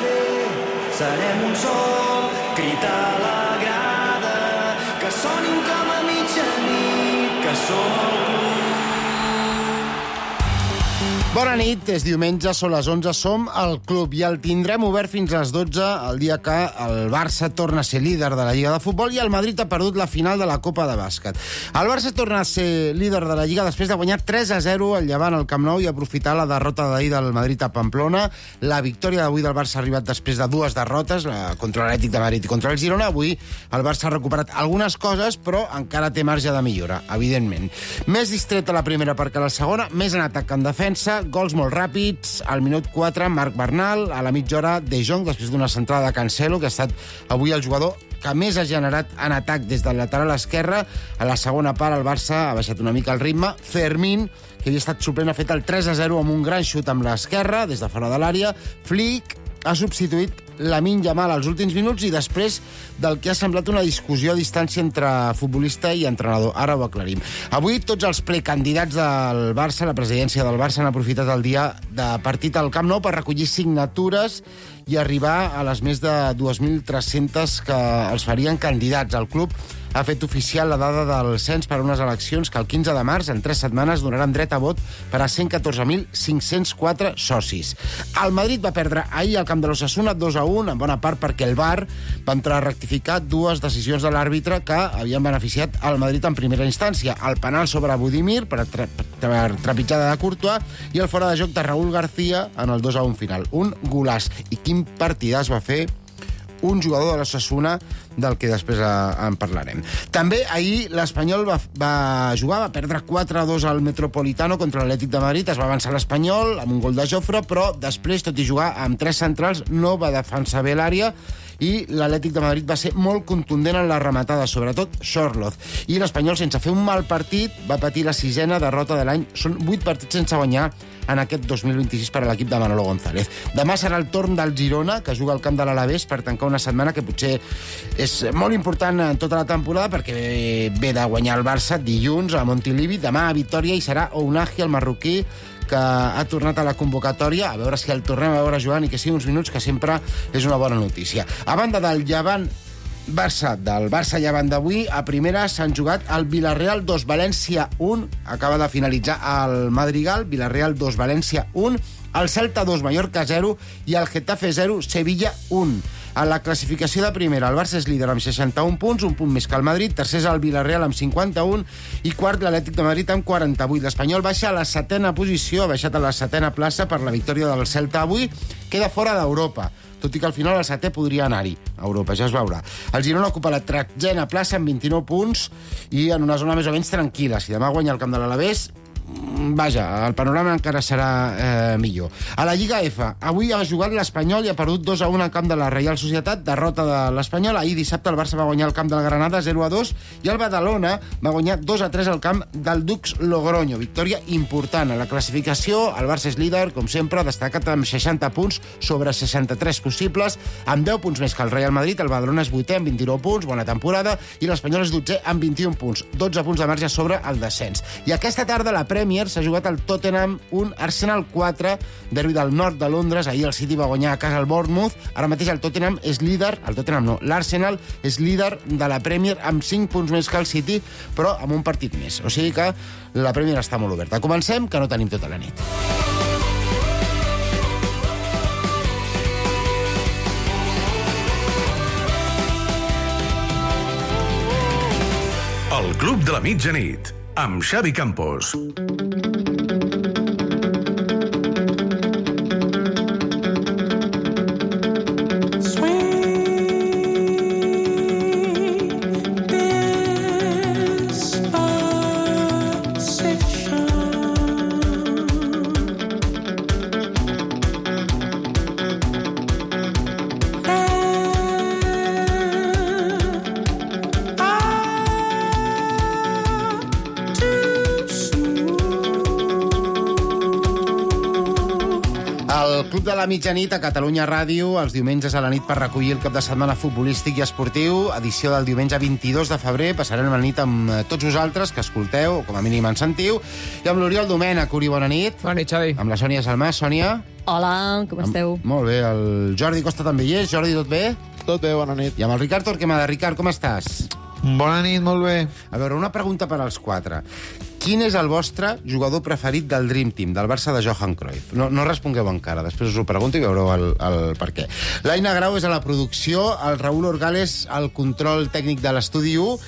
fer. Serem un sol, crit a la grada, que sonin com a mitjanit, que som el club. Bona nit, és diumenge, són les 11, som al club i el tindrem obert fins a les 12 el dia que el Barça torna a ser líder de la Lliga de Futbol i el Madrid ha perdut la final de la Copa de Bàsquet. El Barça torna a ser líder de la Lliga després de guanyar 3-0 al Llevant al Camp Nou i aprofitar la derrota d'ahir del Madrid a Pamplona. La victòria d'avui del Barça ha arribat després de dues derrotes, contra l'Atlètic de Madrid i contra el Girona. Avui el Barça ha recuperat algunes coses, però encara té marge de millora, evidentment. Més distreta la primera perquè la segona, més en atac que en defensa, gols molt ràpids. Al minut 4, Marc Bernal. A la mitja hora, De Jong, després d'una centrada de Cancelo, que ha estat avui el jugador que més ha generat en atac des del lateral esquerre. A la segona part, el Barça ha baixat una mica el ritme. Fermín, que havia estat suplent, ha fet el 3-0 amb un gran xut amb l'esquerra, des de fora de l'àrea. Flick ha substituït Lamine Yamal als últims minuts i després del que ha semblat una discussió a distància entre futbolista i entrenador. Ara ho aclarim. Avui tots els precandidats del Barça, la presidència del Barça, han aprofitat el dia de partit al Camp Nou per recollir signatures i arribar a les més de 2.300 que els farien candidats. El club ha fet oficial la dada del cens per a unes eleccions que el 15 de març, en 3 setmanes, donaran dret a vot per a 114.504 socis. El Madrid va perdre ahir al camp de l'Osasuna 2-1, en bona part perquè el VAR va entrar a rectificar dues decisions de l'àrbitre que havien beneficiat al Madrid en primera instància. El penal sobre Budimir per trepitjada de Courtois i el fora de joc de Raúl García en el 2-1 final. Un golaç. I quin partidàs va fer un jugador de l'Osasuna, del que després en parlarem. També ahir l'Espanyol va jugar, va perdre 4-2 al Metropolitano contra l'Atlètic de Madrid. Es va avançar l'Espanyol amb un gol de Jofre, però després, tot i jugar amb 3 centrals, no va defensar bé l'àrea i l'Atlètic de Madrid va ser molt contundent en la rematada, sobretot Sorloz. I l'Espanyol, sense fer un mal partit, va patir la 6a derrota de l'any. Són 8 partits sense guanyar en aquest 2026 per a l'equip de Manolo González. Demà serà el torn del Girona, que juga al camp de l'Alavés per tancar una setmana que potser és molt important en tota la temporada perquè ve de guanyar el Barça dilluns a Montilivi. Demà a Vitòria hi serà Ounahi, el marroquí, que ha tornat a la convocatòria, a veure si el tornem a veure jugant i que sigui uns minuts, que sempre és una bona notícia. A banda del Llevant del Barça Llevant d'avui, a primera s'han jugat el Villarreal 2, València 1, acaba de finalitzar el Madrigal, Villarreal 2, València 1, el Celta 2, Mallorca 0 i el Getafe 0, Sevilla 1. A la classificació de primera, el Barça és líder amb 61 punts, un punt més que el Madrid, tercer és el Villarreal amb 51 i quart l'Atlètic de Madrid amb 48. L'Espanyol baixa a la 7a posició, ha baixat a la 7a plaça per la victòria del Celta avui, queda fora d'Europa, tot i que al final el 7è podria anar-hi a Europa, ja es veurà. El Girona ocupa la 13a plaça amb 29 punts i en una zona més o menys tranquil·la. Si demà guanya el camp de l'Alavés, vaja, el panorama encara serà millor. A la Lliga F, avui ha jugat l'Espanyol i ha perdut 2-1 al camp de la Reial Societat, derrota de l'Espanyol. Ahir dissabte el Barça va guanyar al camp del Granada 0-2 i el Badalona va guanyar 2-3 al camp del Dux Logroño. Victòria important. A la classificació, el Barça és líder, com sempre, destacat amb 60 punts sobre 63 possibles, amb 10 punts més que el Real Madrid. El Badalona és 8è amb 29 punts, bona temporada, i l'Espanyol és 12è amb 21 punts, 12 punts de marge sobre el descens. I aquesta tarda la Premier s'ha jugat el Tottenham 1, Arsenal 4, derbi del nord de Londres. Ahir el City va guanyar a casa el Bournemouth. Ara mateix el Tottenham és líder, l'Arsenal és líder de la Premier amb 5 punts més que el City, però amb un partit més. O sigui que la Premier està molt oberta. Comencem, que no tenim tota la nit. El Club de la Mitjanit, amb Xavi Campos. El Club de la Mitjanit a Catalunya Ràdio, els diumenges a la nit per recollir el cap de setmana futbolístic i esportiu, edició del diumenge 22 de febrer. Passarem la nit amb tots vosaltres, que escolteu, o com a mínim ens sentiu, i amb l'Oriol Domènech. Uri, bona nit. Bona nit, Xavi. Amb la Sònia Salmà. Sònia? Hola, com esteu? Molt bé, el Jordi Costa també hi és. Jordi, tot bé? Tot bé, bona nit. I amb el Ricard Torquemada. Ricard, com estàs? Bona nit, molt bé. A veure, una pregunta per als quatre. Quin és el vostre jugador preferit del Dream Team, del Barça de Johan Cruyff? No respongueu encara, després us ho pregunto i veureu el per què. L'Aina Grau és a la producció, el Raül Orgales al control tècnic de l'Estudi 1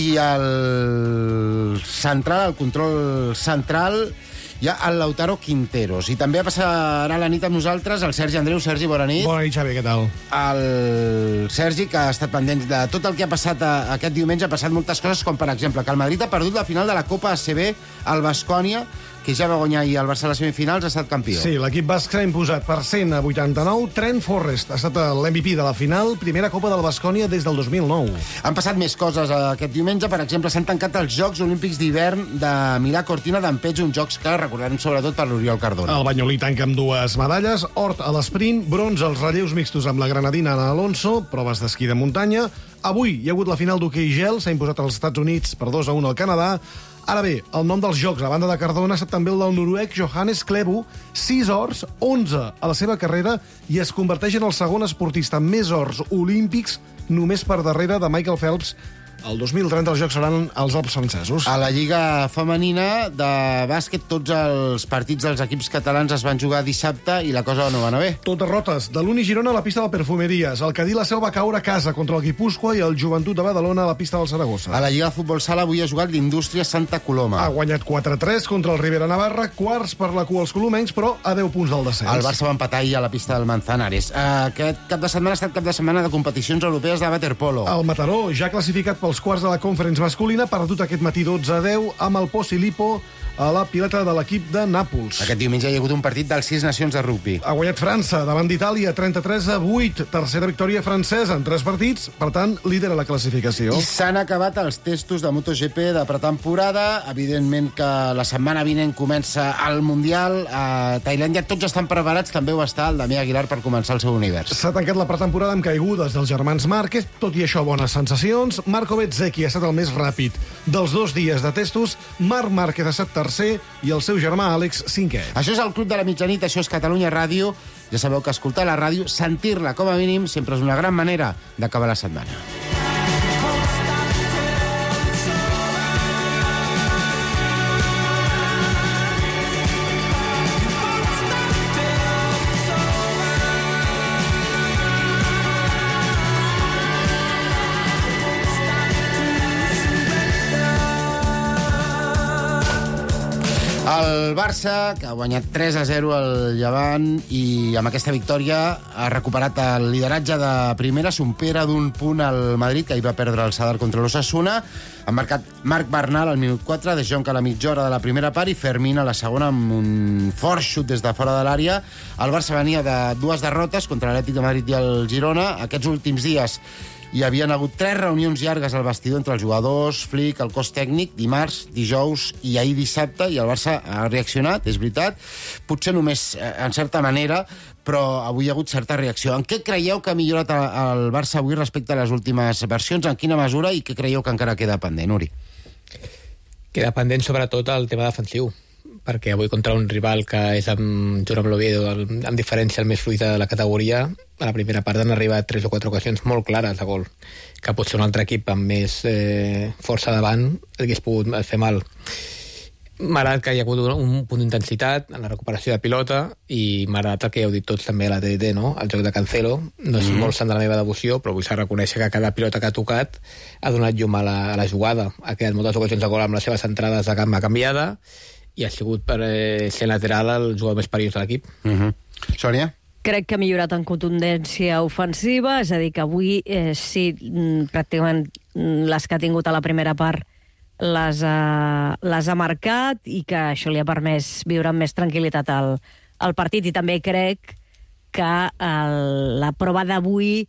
i el control central, hi ha el Lautaro Quinteros. I també passarà la nit amb nosaltres el Sergi Andreu. Sergi, bona nit. Bona nit, Xavi, què tal? El Sergi, que ha estat pendent de tot el que ha passat aquest diumenge, ha passat moltes coses, com per exemple que el Madrid ha perdut la final de la Copa ACB al Baskonia, que ja va guanyar ahir el Barça a les semifinals, ha estat campió. Sí, l'equip basc s'ha imposat per 100-89. Trent Forrest ha estat l'MVP de la final, primera Copa del Baskonia des del 2009. Han passat més coses aquest diumenge. Per exemple, s'han tancat els Jocs Olímpics d'hivern de Milà Cortina d'Ampezzo, uns jocs que recordarem sobretot per l'Oriol Cardona. El banyolí tanca amb 2 medalles, or a l'esprint, bronze als relleus mixtos amb la granadina Ana Alonso, proves d'esquí de muntanya. Avui hi ha hagut la final d'hoquei gel, s'ha imposat als Estats Units per 2-1 al Canadà. Ara bé, el nom dels jocs, a banda de Cardona, ha estat també el del noruec Johannes Klæbo, 6 ors, 11 a la seva carrera, i es converteix en el segon esportista amb més ors olímpics, només per darrere de Michael Phelps. El 2030 els Jocs seran als Alps francesos. A la Lliga Femenina de bàsquet, tots els partits dels equips catalans es van jugar dissabte i la cosa no va anar bé. Tot derrotes. De l'Uni Girona a la pista del Perfumeries. El Cadí la Seu va caure a casa contra el Guipúscoa i el Joventut de Badalona a la pista del Saragossa. A la Lliga de Futbol Sala avui ha jugat l'Indústria Santa Coloma. Ha guanyat 4-3 contra el Rivera Navarra, quarts per la cua als colomencs, però a 10 punts del descens. El Barça va empatar ahir a la pista del Manzanares. Aquest cap de setmana ha estat cap de setmana de competicions europees de waterpolo. El Mataró, ja classificat pels quarts de la Conference masculina, ha perdut aquest matí 12-10 amb el Posillipo a la pilota de l'equip de Nàpols. Aquest diumenge hi ha hagut un partit dels 6 nacions de rugby. Ha guanyat França davant d'Itàlia 33-8, tercera victòria francesa en 3 partits, per tant, líder a la classificació. I s'han acabat els testos de MotoGP de pretemporada. Evidentment que la setmana vinent comença el Mundial. A Tailàndia tots estan preparats, també ho està el Damià Aguilar per començar el seu univers. S'ha tancat la pretemporada amb caigudes dels germans Márquez, tot i això bones sensacions. Marco Bezzecchi ha estat el més ràpid dels 2 dies de testos, Marc Márquez ha estat tercer i el seu germà Àlex 5è. Això és el Club de la Mitjanit, això és Catalunya Ràdio. Ja sabeu que escoltar la ràdio, sentir-la com a mínim, sempre és una gran manera d'acabar la setmana. El Barça, que ha guanyat 3-0 al Llevant i amb aquesta victòria ha recuperat el lideratge de primera, supera d'un punt al Madrid, que hi va perdre el Sadar contra l'Osasuna. Ha marcat Marc Bernal al minut 4, De Jong a la mitja hora de la primera part i Fermín a la segona amb un fort xut des de fora de l'àrea. El Barça venia de 2 derrotes contra l'Atlètic de Madrid i el Girona. Aquests últims dies hi havien hagut 3 reunions llargues al vestidor entre els jugadors, Flick, el cos tècnic, dimarts, dijous i ahir dissabte, i el Barça ha reaccionat, és veritat, potser només en certa manera, però avui hi ha hagut certa reacció. En què creieu que ha millorat el Barça avui respecte a les últimes versions? En quina mesura? I què creieu que encara queda pendent, Uri? Queda pendent sobretot el tema defensiu, perquè avui contra un rival que és amb Jurem l'Oviedo, amb diferència el més fluid de la categoria, a la primera part han arribat 3 o 4 ocasions molt clares de gol, que potser un altre equip amb més força davant hagués pogut fer mal. M'ha agradat que hi ha hagut un punt d'intensitat en la recuperació de pilota i m'ha agradat el que heu dit tots també a la TDT, no? El joc de Cancelo, no és molt sant de la meva devoció, però vull reconèixer que cada pilota que ha tocat ha donat llum a la jugada. Ha quedat moltes ocasions de gol amb les seves entrades de gamma canviada i ha sigut per ser lateral el jugador més perillós de l'equip. Sònia? Crec que ha millorat en contundència ofensiva, és a dir, que avui sí, pràcticament les que ha tingut a la primera part les ha marcat i que això li ha permès viure amb més tranquil·litat el partit. I també crec que la prova d'avui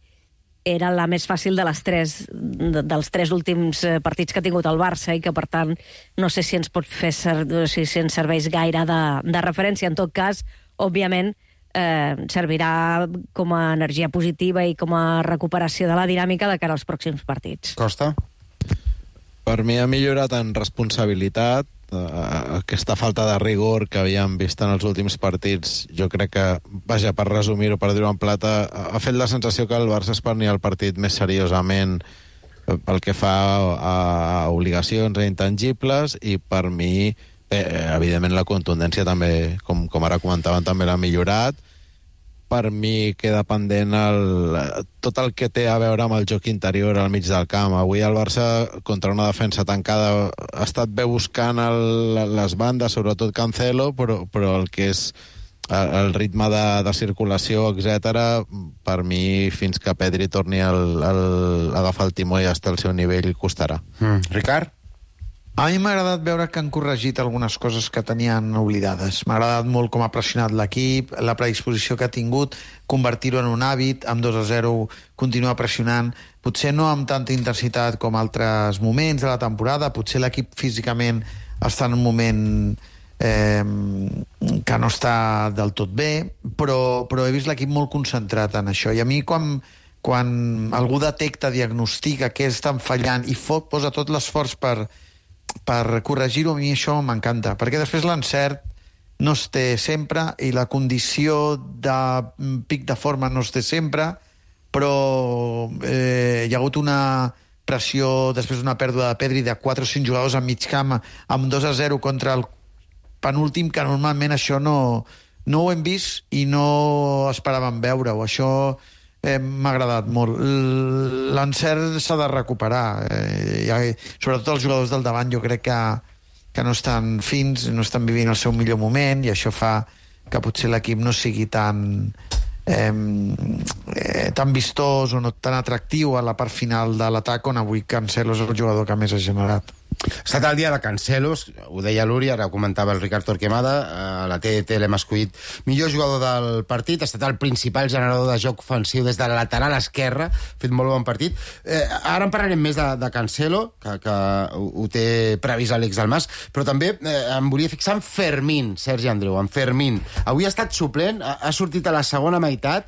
era la més fàcil dels 3 últims partits que ha tingut el Barça i que, per tant, no sé si ens pot fer si ens serveix gaire de referència. En tot cas, òbviament, servirà com a energia positiva i com a recuperació de la dinàmica de cara als pròxims partits. Costa? Per mi ha millorat en responsabilitat. Aquesta falta de rigor que havíem vist en els últims partits, jo crec que, vaja, per resumir-ho, per dir-ho en plata, ha fet la sensació que el Barça es prenia el partit més seriosament pel que fa a obligacions intangibles, i per mi, evidentment, la contundència també, com ara comentaven, també l'ha millorat. Per mi queda pendent tot el que té a veure amb el joc interior al mig del camp. Avui el Barça, contra una defensa tancada, ha estat bé buscant les bandes, sobretot Cancelo, però el que és el ritme de circulació, etc., per mi, fins que Pedri torni a agafar el timó i estar al seu nivell, costarà. Ricard? A mi m'ha agradat veure que han corregit algunes coses que tenien oblidades. M'ha agradat molt com ha pressionat l'equip, la predisposició que ha tingut, convertir-ho en un hàbit, amb 2-0 continuar pressionant, potser no amb tanta intensitat com altres moments de la temporada, potser l'equip físicament està en un moment que no està del tot bé, però he vist l'equip molt concentrat en això. I a mi, quan algú detecta, diagnostica què estan fallant i posa tot l'esforç per corregir-ho, a mi això m'encanta, perquè després l'encert no es té sempre i la condició de pic de forma no es té sempre, però hi ha hagut una pressió després d'una pèrdua de Pedri de 4 o 5 jugadors al mig camp amb 2-0 contra el penúltim, que normalment això no ho hem vist i no esperàvem veure-ho. Això m'ha agradat molt. L'encert s'ha de recuperar, sobretot els jugadors del davant. Jo crec que no estan fins, no estan vivint el seu millor moment, i això fa que potser l'equip no sigui tan vistós o no tan atractiu a la part final de l'atac, on avui Cancelo és el jugador que més ha generat. Ha estat el dia de Cancelos, ho deia l'Uri, ara ho comentava el Ricard Torquemada, a la TDT l'hem escollit millor jugador del partit, ha estat el principal generador de joc ofensiu des de la lateral esquerra, ha fet molt bon partit. Ara en parlarem més de Cancelo, que ho té previst Àlex Dalmas, però també em volia fixar en Fermín, Sergi Andreu, en Fermín. Avui ha estat suplent, ha sortit a la segona meitat,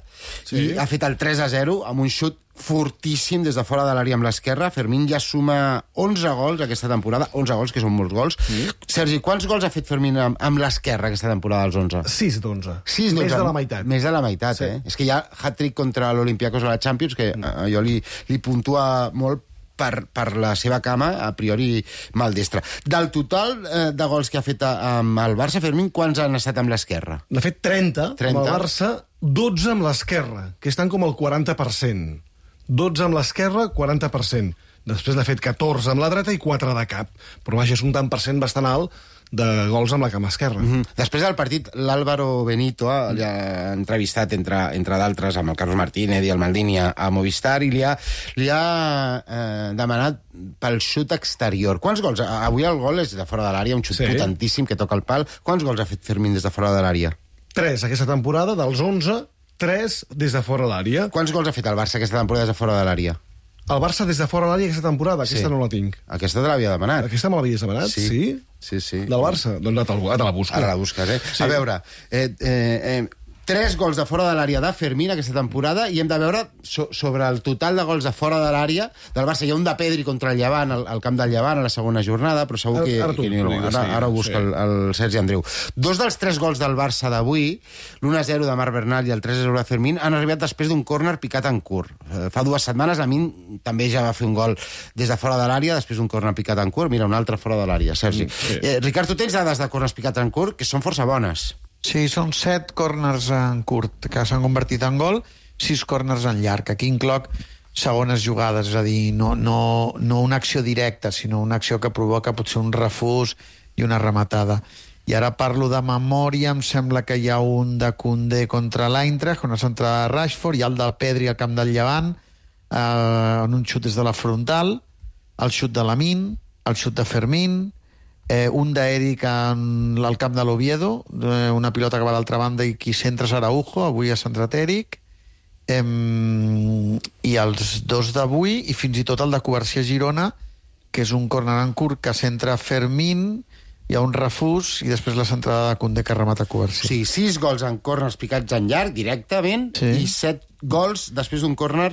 i ha fet el 3-0 amb un xut fortíssim des de fora de l'àrea amb l'esquerra. Fermín ja suma 11 gols aquesta temporada, 11 gols, que són molts gols. Sergi, quants gols ha fet Fermín amb l'esquerra aquesta temporada, els 11? 6 d'11. Més de la meitat. Més de la meitat, sí. És que hi ha hat-trick contra l'Olympiacos a la Champions, que jo li puntua molt per la seva cama, a priori maldestra. Del total de gols que ha fet amb el Barça, Fermín, quants han estat amb l'esquerra? N'ha fet 30 amb el Barça, 12 amb l'esquerra, que estan com al 40%. 12 amb l'esquerra, 40%. Després n'ha fet 14 amb la dreta i 4 de cap. Però vaja, és un tant per cent bastant alt de gols amb la cama esquerra. Després del partit, l'Álvaro Benito ha entrevistat, entre d'altres, amb el Carlos Martínez i el Maldini a Movistar, i li ha demanat pel xut exterior. Quants gols? Avui el gol és de fora de l'àrea, un xut potentíssim que toca el pal. Quants gols ha fet Fermín des de fora de l'àrea? 3 aquesta temporada, dels 11, 3 des de fora de l'àrea. Quants gols ha fet el Barça aquesta temporada des de fora de l'àrea? El Barça des de fora de l'àrea aquesta temporada, aquesta no la tinc. Aquesta te l'havia demanat. Aquesta me l'havies demanat? Sí. Del Barça? Doncs te la busco. Ara la busques, A veure, 3 gols de fora de l'àrea de Fermín aquesta temporada, i hem de veure sobre el total de gols de fora de l'àrea del Barça. Hi ha un de Pedri contra el Llevant, al camp del Llevant, a la segona jornada, però segur que ara ho busca el Sergi Andreu. 2 dels 3 gols del Barça d'avui, l'1-0 de Marc Bernal i el 3-0 de Fermín, han arribat després d'un córner picat en curt. Fa 2 setmanes Lamine també ja va fer un gol des de fora de l'àrea, després d'un córner picat en curt. Mira, un altre fora de l'àrea, Sergi. Ricard, tu tens dades de córners picats en curt que són força bones. Sí, són 7 córners en curt que s'han convertit en gol, 6 córners en llarg. Aquí incloc segones jugades, és a dir, no una acció directa, sinó una acció que provoca potser un refús i una rematada. I ara parlo de memòria, em sembla que hi ha un de Koundé contra l'Eintracht, una centrada de Rashford, hi ha el del Pedri al camp del Llevant, en un xut des de la frontal, el xut de Lamine, el xut de Fermín, un d'Eric al camp de l'Oviedo, una pilota que va a l'altra banda i qui centra és Araujo, avui ha centrat Eric, i els 2 d'avui, i fins i tot el de Covarsí a Girona, que és un córner en curt que centra Fermín, hi ha un refús i després la centrada de Koundé que remata Covarsí. Sí, 6 gols en córners picats en llarg, directament, i 7 gols després d'un córner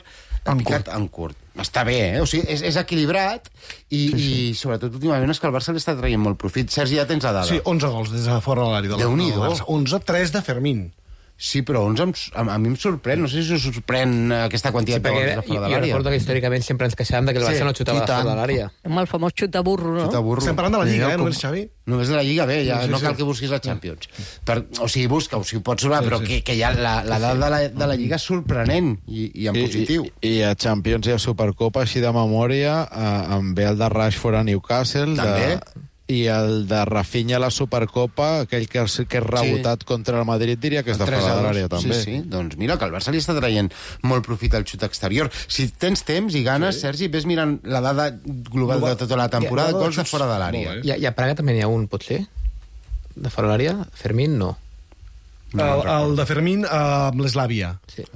Ha picat en curt. Està bé, eh? O sigui, és equilibrat i sobretot últimament és que el Barça li està traient molt profit. Sergi, ja tens la dada. Sí, 11 gols des de fora de l'àrea del Barça. 11, 3 de Fermín. Sí, però 11 a mi em sorprèn. No sé si us sorprèn aquesta quantitat de gols de fora de l'àrea. Jo recordo que històricament sempre ens queixàvem que el Barça no xutava de fora de l'àrea. Amb el famós xuta-burro, no? Xuta-burro. Estem parlant de la Lliga, només, Xavi? Només de la Lliga, bé, ja no cal que busquis la Champions. O sigui, busca-ho, si ho pots trobar, però que ja la dada de la Lliga és sorprenent i en positiu. I a Champions i a Supercopa, així de memòria, em ve el de Rashford a Newcastle, també. I el de Rafinha a la Supercopa, aquell que és rebotat contra el Madrid, diria que és de fora de l'àrea, també. Sí, doncs mira, que el Barça li està traient molt profit al xut exterior. Si tens temps i ganes, Sergi, ves mirant la dada global de tota la temporada, gols de fora de l'àrea. I a Praga també n'hi ha un, potser? De fora de l'àrea? Fermín, no. El de Fermín amb l'Eslàvia.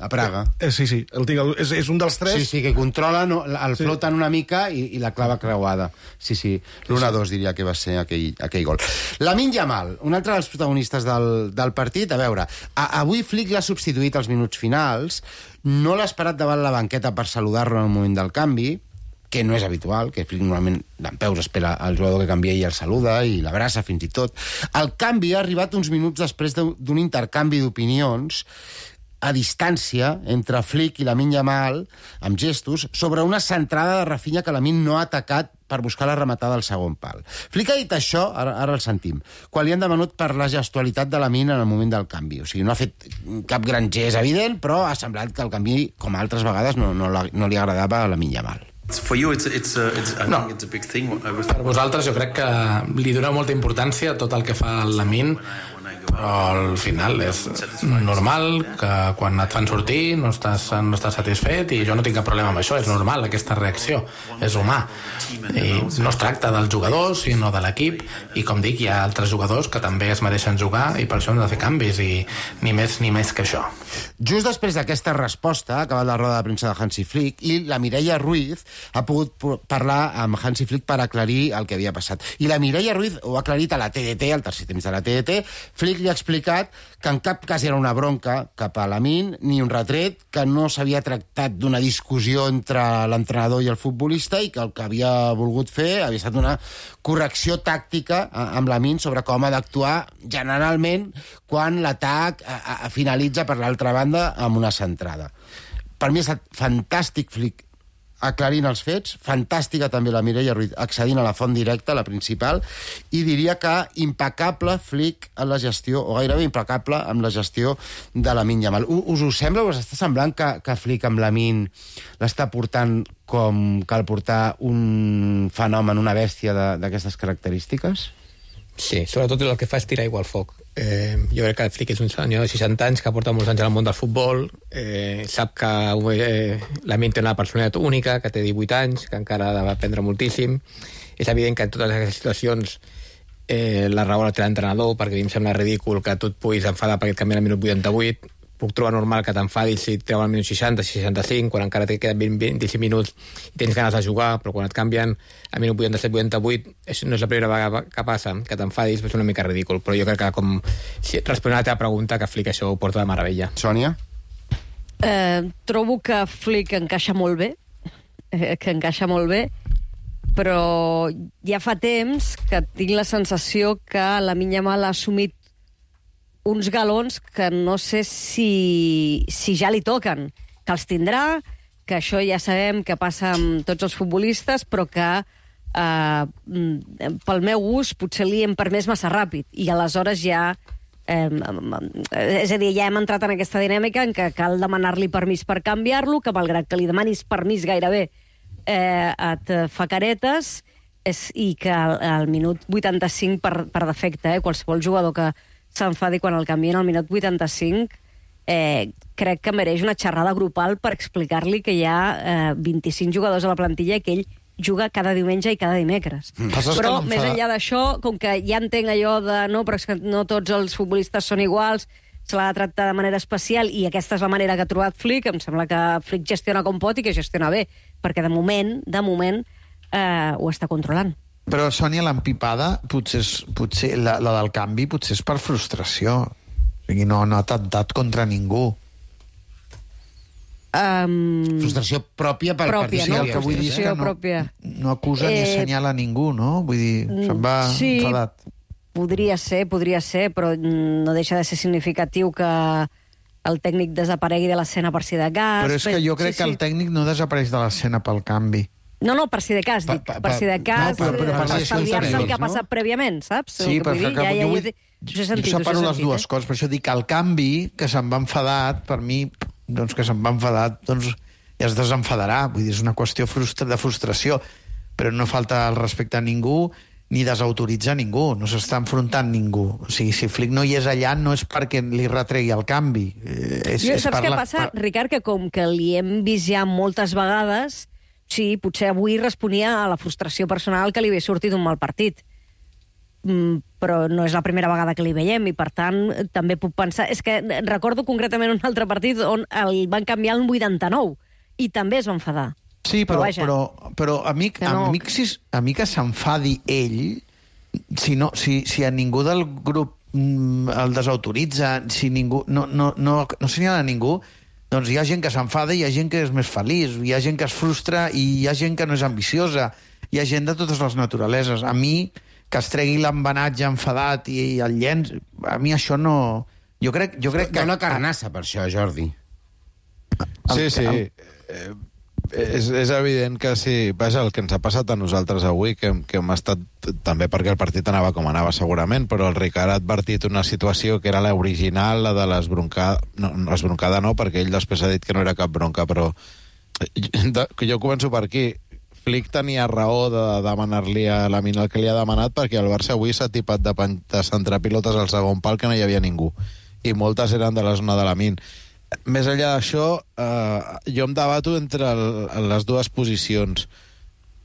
A Praga. Sí, el tinc, és un dels 3. Sí, que controla, el floten una mica i la clava creuada. Sí, l'1-2 diria que va ser aquell gol. Lamine Yamal, un altre dels protagonistes del partit. A veure, avui Flick l'ha substituït als minuts finals, no l'ha esperat davant la banqueta per saludar-lo en el moment del canvi, que no és habitual, que Flick normalment dempeus espera el jugador que canvia i el saluda i l'abraça fins i tot. El canvi ha arribat uns minuts després d'un intercanvi d'opinions a distància entre Flick i Lamine Yamal, amb gestos, sobre una centrada de Rafinha que Lamine no ha atacat per buscar la rematada al segon pal. Flick ha dit això, ara el sentim, quan li han demanat per la gestualitat de Lamine en el moment del canvi. O sigui, no ha fet cap gran gest evident, però ha semblat que el canvi, com altres vegades, no li agradava a Lamine Yamal. For you, I think it's a big thing. Per vosaltres jo crec que li dona molta importància a tot el que fa el Lamine, però al final és normal que quan et fan sortir no estàs satisfet i jo no tinc cap problema amb això, és normal aquesta reacció, és humà i no es tracta dels jugadors sinó de l'equip i com dic hi ha altres jugadors que també es mereixen jugar i per això hem de fer canvis i ni més que això. Just després d'aquesta resposta ha acabat la roda de premsa de Hansi Flick i la Mireia Ruiz ha pogut parlar amb Hansi Flick per aclarir el que havia passat. I la Mireia Ruiz ho ha aclarit a la TDT, al tercer temps de la TDT. Flick li ha explicat que en cap cas era una bronca cap a Lamine, ni un retret, que no s'havia tractat d'una discussió entre l'entrenador i el futbolista i que el que havia volgut fer havia estat una correcció tàctica amb Lamine sobre com ha d'actuar generalment quan l'atac finalitza per l'altra banda amb una centrada. Per mi ha estat fantàstic Flick aclarint els fets, fantàstica també la Mireia Ruiz accedint a la font directa, la principal, i diria que impecable Flick en la gestió, o gairebé impecable amb la gestió de Lamine Yamal. Us ho sembla? Us està semblant que Flick amb Lamine l'està portant com cal portar un fenomen, una bèstia d'aquestes característiques? Sí, sobretot el que fa és tirar aigua al foc. Jo crec que el Flick és un senyor de 60 anys que porta molts anys al món del futbol, sap que Lamine té una personalitat única, que té 18 anys, que encara ha d'aprendre moltíssim. És evident que en totes aquestes situacions la raó la té l'entrenador, perquè a mi em sembla ridícul que tu et puguis enfadar perquè et canvien al minut 88. Puc trobar normal que t'enfadis si et treuen al minut 60, 65, quan encara te queden 25 minuts i tens ganes de jugar, però quan et canvien al minut 87-88, no és la primera vegada que passa, que t'enfadis, és una mica ridícul, però jo crec que responent a la teva pregunta, que Flick això ho porta de meravella. Sònia? Trobo que Flick encaixa molt bé, però ja fa temps que tinc la sensació que Lamine Yamal ha assumit uns galons que no sé si ja li toquen, que els tindrà, que això ja sabem que passa amb tots els futbolistes, però que pel meu gust potser li hem permès massa ràpid, i aleshores ja és a dir, ja hem entrat en aquesta dinàmica en què cal demanar-li permís per canviar-lo, que malgrat que li demanis permís gairebé et fa caretes, i que al minut 85 per defecte, qualsevol jugador que s'enfadi quan el canvien al minut 85, crec que mereix una xerrada grupal per explicar-li que hi ha 25 jugadors a la plantilla i que ell juga cada diumenge i cada dimecres. Però més enllà d'això, com que ja entenc allò de però és que no tots els futbolistes són iguals, se l'ha de tractar de manera especial i aquesta és la manera que ha trobat Flick, em sembla que Flick gestiona com pot i que gestiona bé, perquè de moment ho està controlant. Però, Sònia, l'empipada, potser la del canvi, potser és per frustració. O sigui, no ha atemptat contra ningú. Frustració pròpia pel partit. Sí, el que vull dir és que no acusa ni assenyala ningú, no? Vull dir, se'n va enfadat. Podria ser, però no deixa de ser significatiu que el tècnic desaparegui de l'escena per si de cas. Però és que jo crec que el tècnic no desapareix de l'escena pel canvi. No, per si de cas, dic. Per si de cas, per estalviar-se el que ha passat prèviament, saps? Sí, però jo separo les dues coses. Per això dic que el canvi, que se'n va enfadat, per mi, doncs que se'n va enfadat, doncs ja es desenfadarà. Vull dir, és una qüestió de frustració. Però no falta el respecte a ningú ni desautoritza ningú, no s'està enfrontant ningú. O sigui, si Flick no hi és allà no és perquè li retregui el canvi. Saps què passa, Ricard? Que com que li hem vist ja moltes vegades, sí, potser avui responia a la frustració personal que li havia sortit un mal partit. Però no és la primera vegada que li veiem i, per tant, també puc pensar... És que recordo concretament un altre partit on el van canviar el 89 i també es va enfadar. Sí, però a mi que s'enfadi ell, si a ningú del grup el desautoritza, si ningú no assenyala a ningú, doncs hi ha gent que s'enfada i hi ha gent que és més feliç, hi ha gent que es frustra i hi ha gent que no és ambiciosa, hi ha gent de totes les naturaleses. A mi, que es tregui l'embenatge enfadat i el llenç, a mi això no... Jo crec que... Hi ha una carnassa per això, Jordi. Sí. És evident que sí. Vaja, el que ens ha passat a nosaltres avui, que hem estat, també perquè el partit anava com anava segurament, però el Ricard ha advertit una situació que era l'original, la de l'esbroncada. No, l'esbroncada no, perquè ell després ha dit que no era cap bronca, però jo començo per aquí. Flick tenia raó de demanar-li a Lamine el que li ha demanat, perquè el Barça avui s'ha tipat de centrar pilotes al segon pal que no hi havia ningú. I moltes eren de la zona de Lamine. Més enllà d'això, jo em debato entre les dues posicions.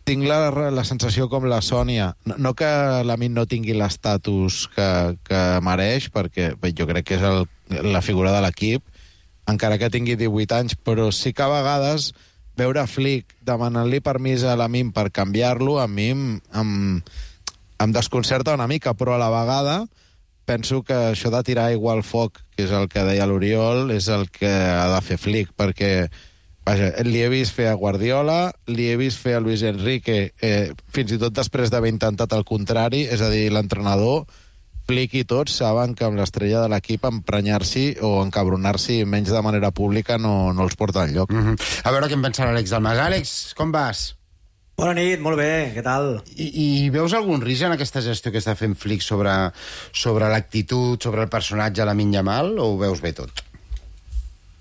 Tinc la sensació com la Sònia, no que Lamine no tingui l'estatus que mereix, perquè jo crec que és la figura de l'equip, encara que tingui 18 anys, però sí que a vegades veure Flick demanant-li permís a Lamine per canviar-lo, a mi em desconcerta una mica, però a la vegada penso que això de tirar aigua al foc, que és el que deia l'Oriol, és el que ha de fer Flick, perquè vaja, li he vist fer a Guardiola, li he vist fer a Luis Enrique, fins i tot després d'haver intentat el contrari, és a dir, l'entrenador, Flick i tots saben que amb l'estrella de l'equip emprenyar-s'hi o encabronar-s'hi menys de manera pública no els porta enlloc. A veure què en pensa l'Àlex Dalmas. Àlex, com vas? Bona nit, molt bé, què tal? I veus algun risc en aquesta gestió que està fent Flick sobre l'actitud, sobre el personatge de Lamine Yamal, o ho veus bé tot?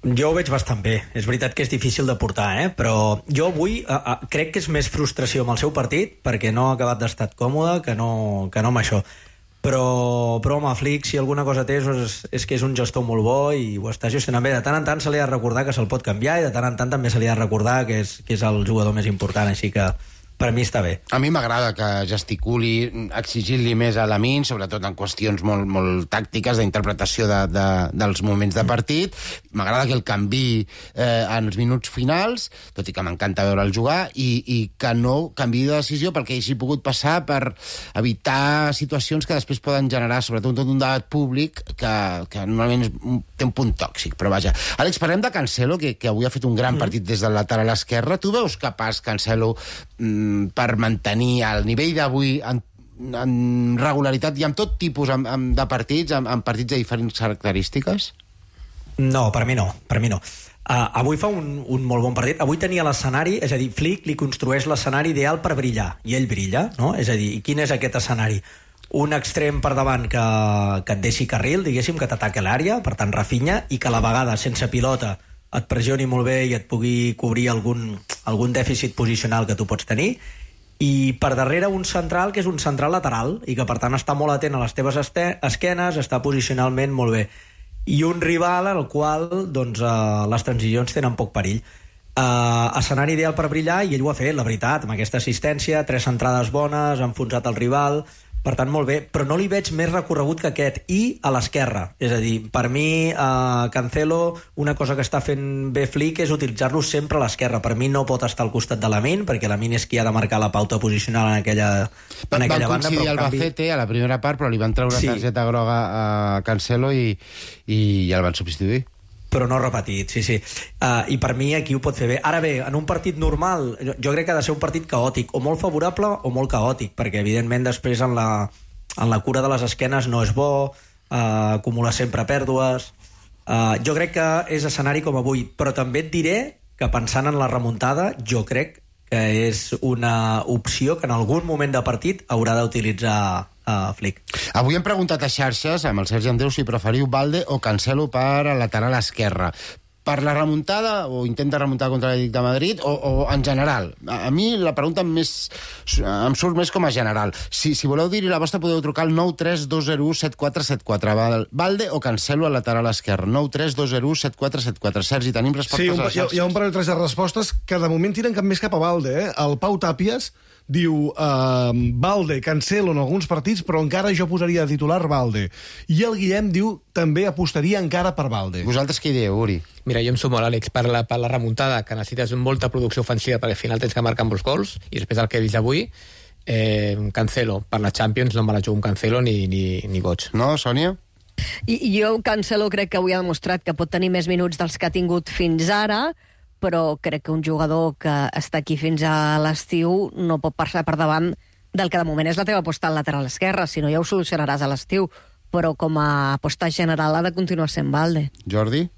Jo ho veig bastant bé. És veritat que és difícil de portar, però jo avui crec que és més frustració amb el seu partit, perquè no ha acabat d'estar còmode que no amb això. Però home, Flick, si alguna cosa té, és que és un gestor molt bo i ho està gestionant bé. De tant en tant se li ha de recordar que se'l pot canviar i de tant en tant també se li ha de recordar que és el jugador més important, així que per mi està bé. A mi m'agrada que gesticuli exigint-li més a Lamine, sobretot en qüestions molt, molt tàctiques d'interpretació dels moments de partit. M'agrada que el canviï en els minuts finals, tot i que m'encanta veure'l jugar, i que no canviï de decisió perquè hagi pogut passar per evitar situacions que després poden generar, sobretot tot un debat públic que normalment té un punt tòxic, però vaja. Àlex, parlem de Cancelo, que avui ha fet un gran partit des del lateral esquerre. Tu veus capaç Cancelo per mantenir el nivell d'avui en regularitat i amb tot tipus de partits, en partits de diferents característiques? No, per mi no. Avui fa un molt bon partit. Avui tenia l'escenari, és a dir, Flick li construeix l'escenari ideal per brillar, i ell brilla, no? És a dir, quin és aquest escenari? Un extrem per davant que et deixi carril, diguéssim, que t'ataca l'àrea, per tant Rafinha, i que a la vegada, sense pilota, et pressioni molt bé i et pugui cobrir algun dèficit posicional que tu pots tenir, i per darrere un central que és un central lateral i que per tant està molt atent a les teves esquenes, està posicionalment molt bé, i un rival al qual doncs, les transicions tenen poc perill. Escenari ideal per brillar, i ell ho ha fet, la veritat, amb aquesta assistència, 3 centrades bones, ha enfonsat el rival, per tant molt bé, però no li veig més recorregut que aquest, i a l'esquerra, és a dir, per mi Cancelo, una cosa que està fent bé Flick és utilitzar-lo sempre a l'esquerra. Per mi no pot estar al costat de Lamine, perquè Lamine és qui ha de marcar la pauta posicional en aquella banda. Van coincidir al Albacete a la primera part, però li van treure targeta groga a Cancelo i el van substituir. però no repetit, sí. I per mi aquí ho pot fer bé. Ara bé, en un partit normal, jo crec que ha de ser un partit caòtic, o molt favorable o molt caòtic, perquè evidentment després en la cura de les esquenes no és bo, acumula sempre pèrdues. Jo crec que és escenari com avui, però també et diré que pensant en la remuntada, jo crec que és una opció que en algun moment de partit haurà d'utilitzar Flick. Avui hem preguntat a xarxes, amb el Sergi Andreu, si preferiu Balde o Cancelo per al lateral esquerre. Per la remuntada, o intent de remuntar contra l'Atlètic de Madrid, o en general? A mi la pregunta em surt més com a general. Si voleu dir-hi la vostra, podeu trucar al 932017474. Balde o Cancelo al lateral esquerre? 932017474. Sergi, tenim respostes a les xarxes? Sí, hi ha un parell de respostes que de moment tiren més cap a Balde. El Pau Tàpies diu Balde, Cancelo en alguns partits, però encara jo posaria de titular Balde. I el Guillem diu també apostaria encara per Balde. Vosaltres què dieu, Uri? Mira, jo em sumo a l'Àlex per la remuntada, que necessites molta producció ofensiva perquè al final tens que marcar amb els gols, i després el que he vist avui, Cancelo, per la Champions no me la jugo amb Cancelo ni goig. No, Sònia? I jo, Cancelo, crec que avui ha demostrat que pot tenir més minuts dels que ha tingut fins ara, però crec que un jugador que està aquí fins a l'estiu no pot passar per davant del que de moment és la teva aposta al lateral esquerre, si no ja ho solucionaràs a l'estiu, però com a aposta general ha de continuar sent Balde. Jordi?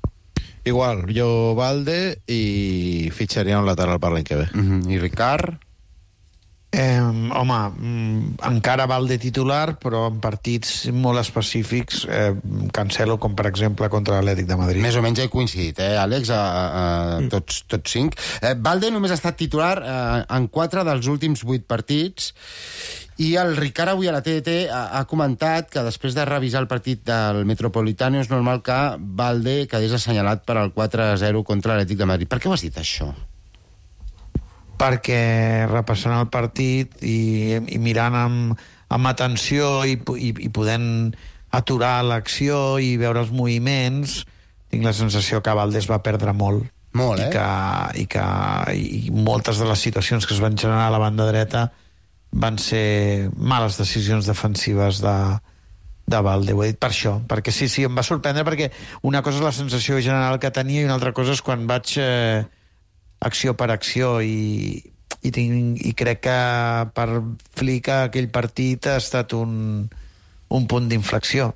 Igual, jo Balde i fitxaria un lateral per l'any que ve. I Ricard? Encara Balde titular, però en partits molt específics, Cancelo, com per exemple contra l'Atlètic de Madrid. Més o menys he coincidit, Àlex, tots 5. Balde només ha estat titular en 4 dels últims 8 partits, i el Ricard avui a la TDT ha comentat que després de revisar el partit del Metropolitano és normal que Balde quedés assenyalat per al 4-0 contra l'Atlètic de Madrid. Per què ho has dit, això? Perquè repassant el partit i mirant amb atenció i podent aturar l'acció i veure els moviments, tinc la sensació que Balde es va perdre molt. Molt, I moltes de les situacions que es van generar a la banda dreta van ser males decisions defensives de Balde. Ho he dit per això, perquè sí, em va sorprendre, perquè una cosa és la sensació general que tenia i una altra cosa és quan vaig acció per acció i crec que per Flick aquell partit ha estat un punt d'inflexió.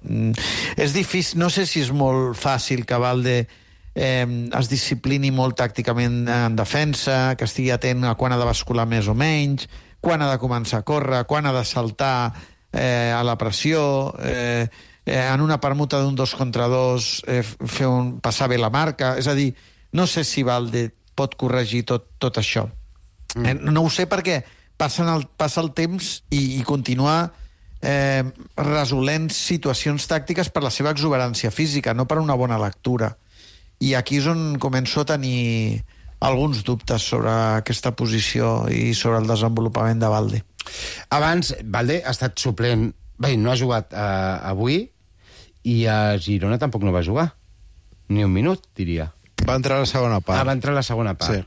És difícil, no sé si és molt fàcil que Balde es disciplini molt tàcticament en defensa, que estigui atent a quan ha de bascular més o menys, quan ha de començar a córrer, quan ha de saltar a la pressió, en una permuta d'un 2 contra 2 passar bé la marca. És a dir, no sé si Balde pot corregir tot això. No ho sé perquè passa el temps i continua resolent situacions tàctiques per la seva exuberància física, no per una bona lectura. I aquí és on començo a tenir alguns dubtes sobre aquesta posició i sobre el desenvolupament de Balde. Abans, Balde ha estat suplent... Bé, no ha jugat avui, i a Girona tampoc no va jugar. Ni un minut, diria. Va entrar a la segona part. Va entrar a la segona part. Sí.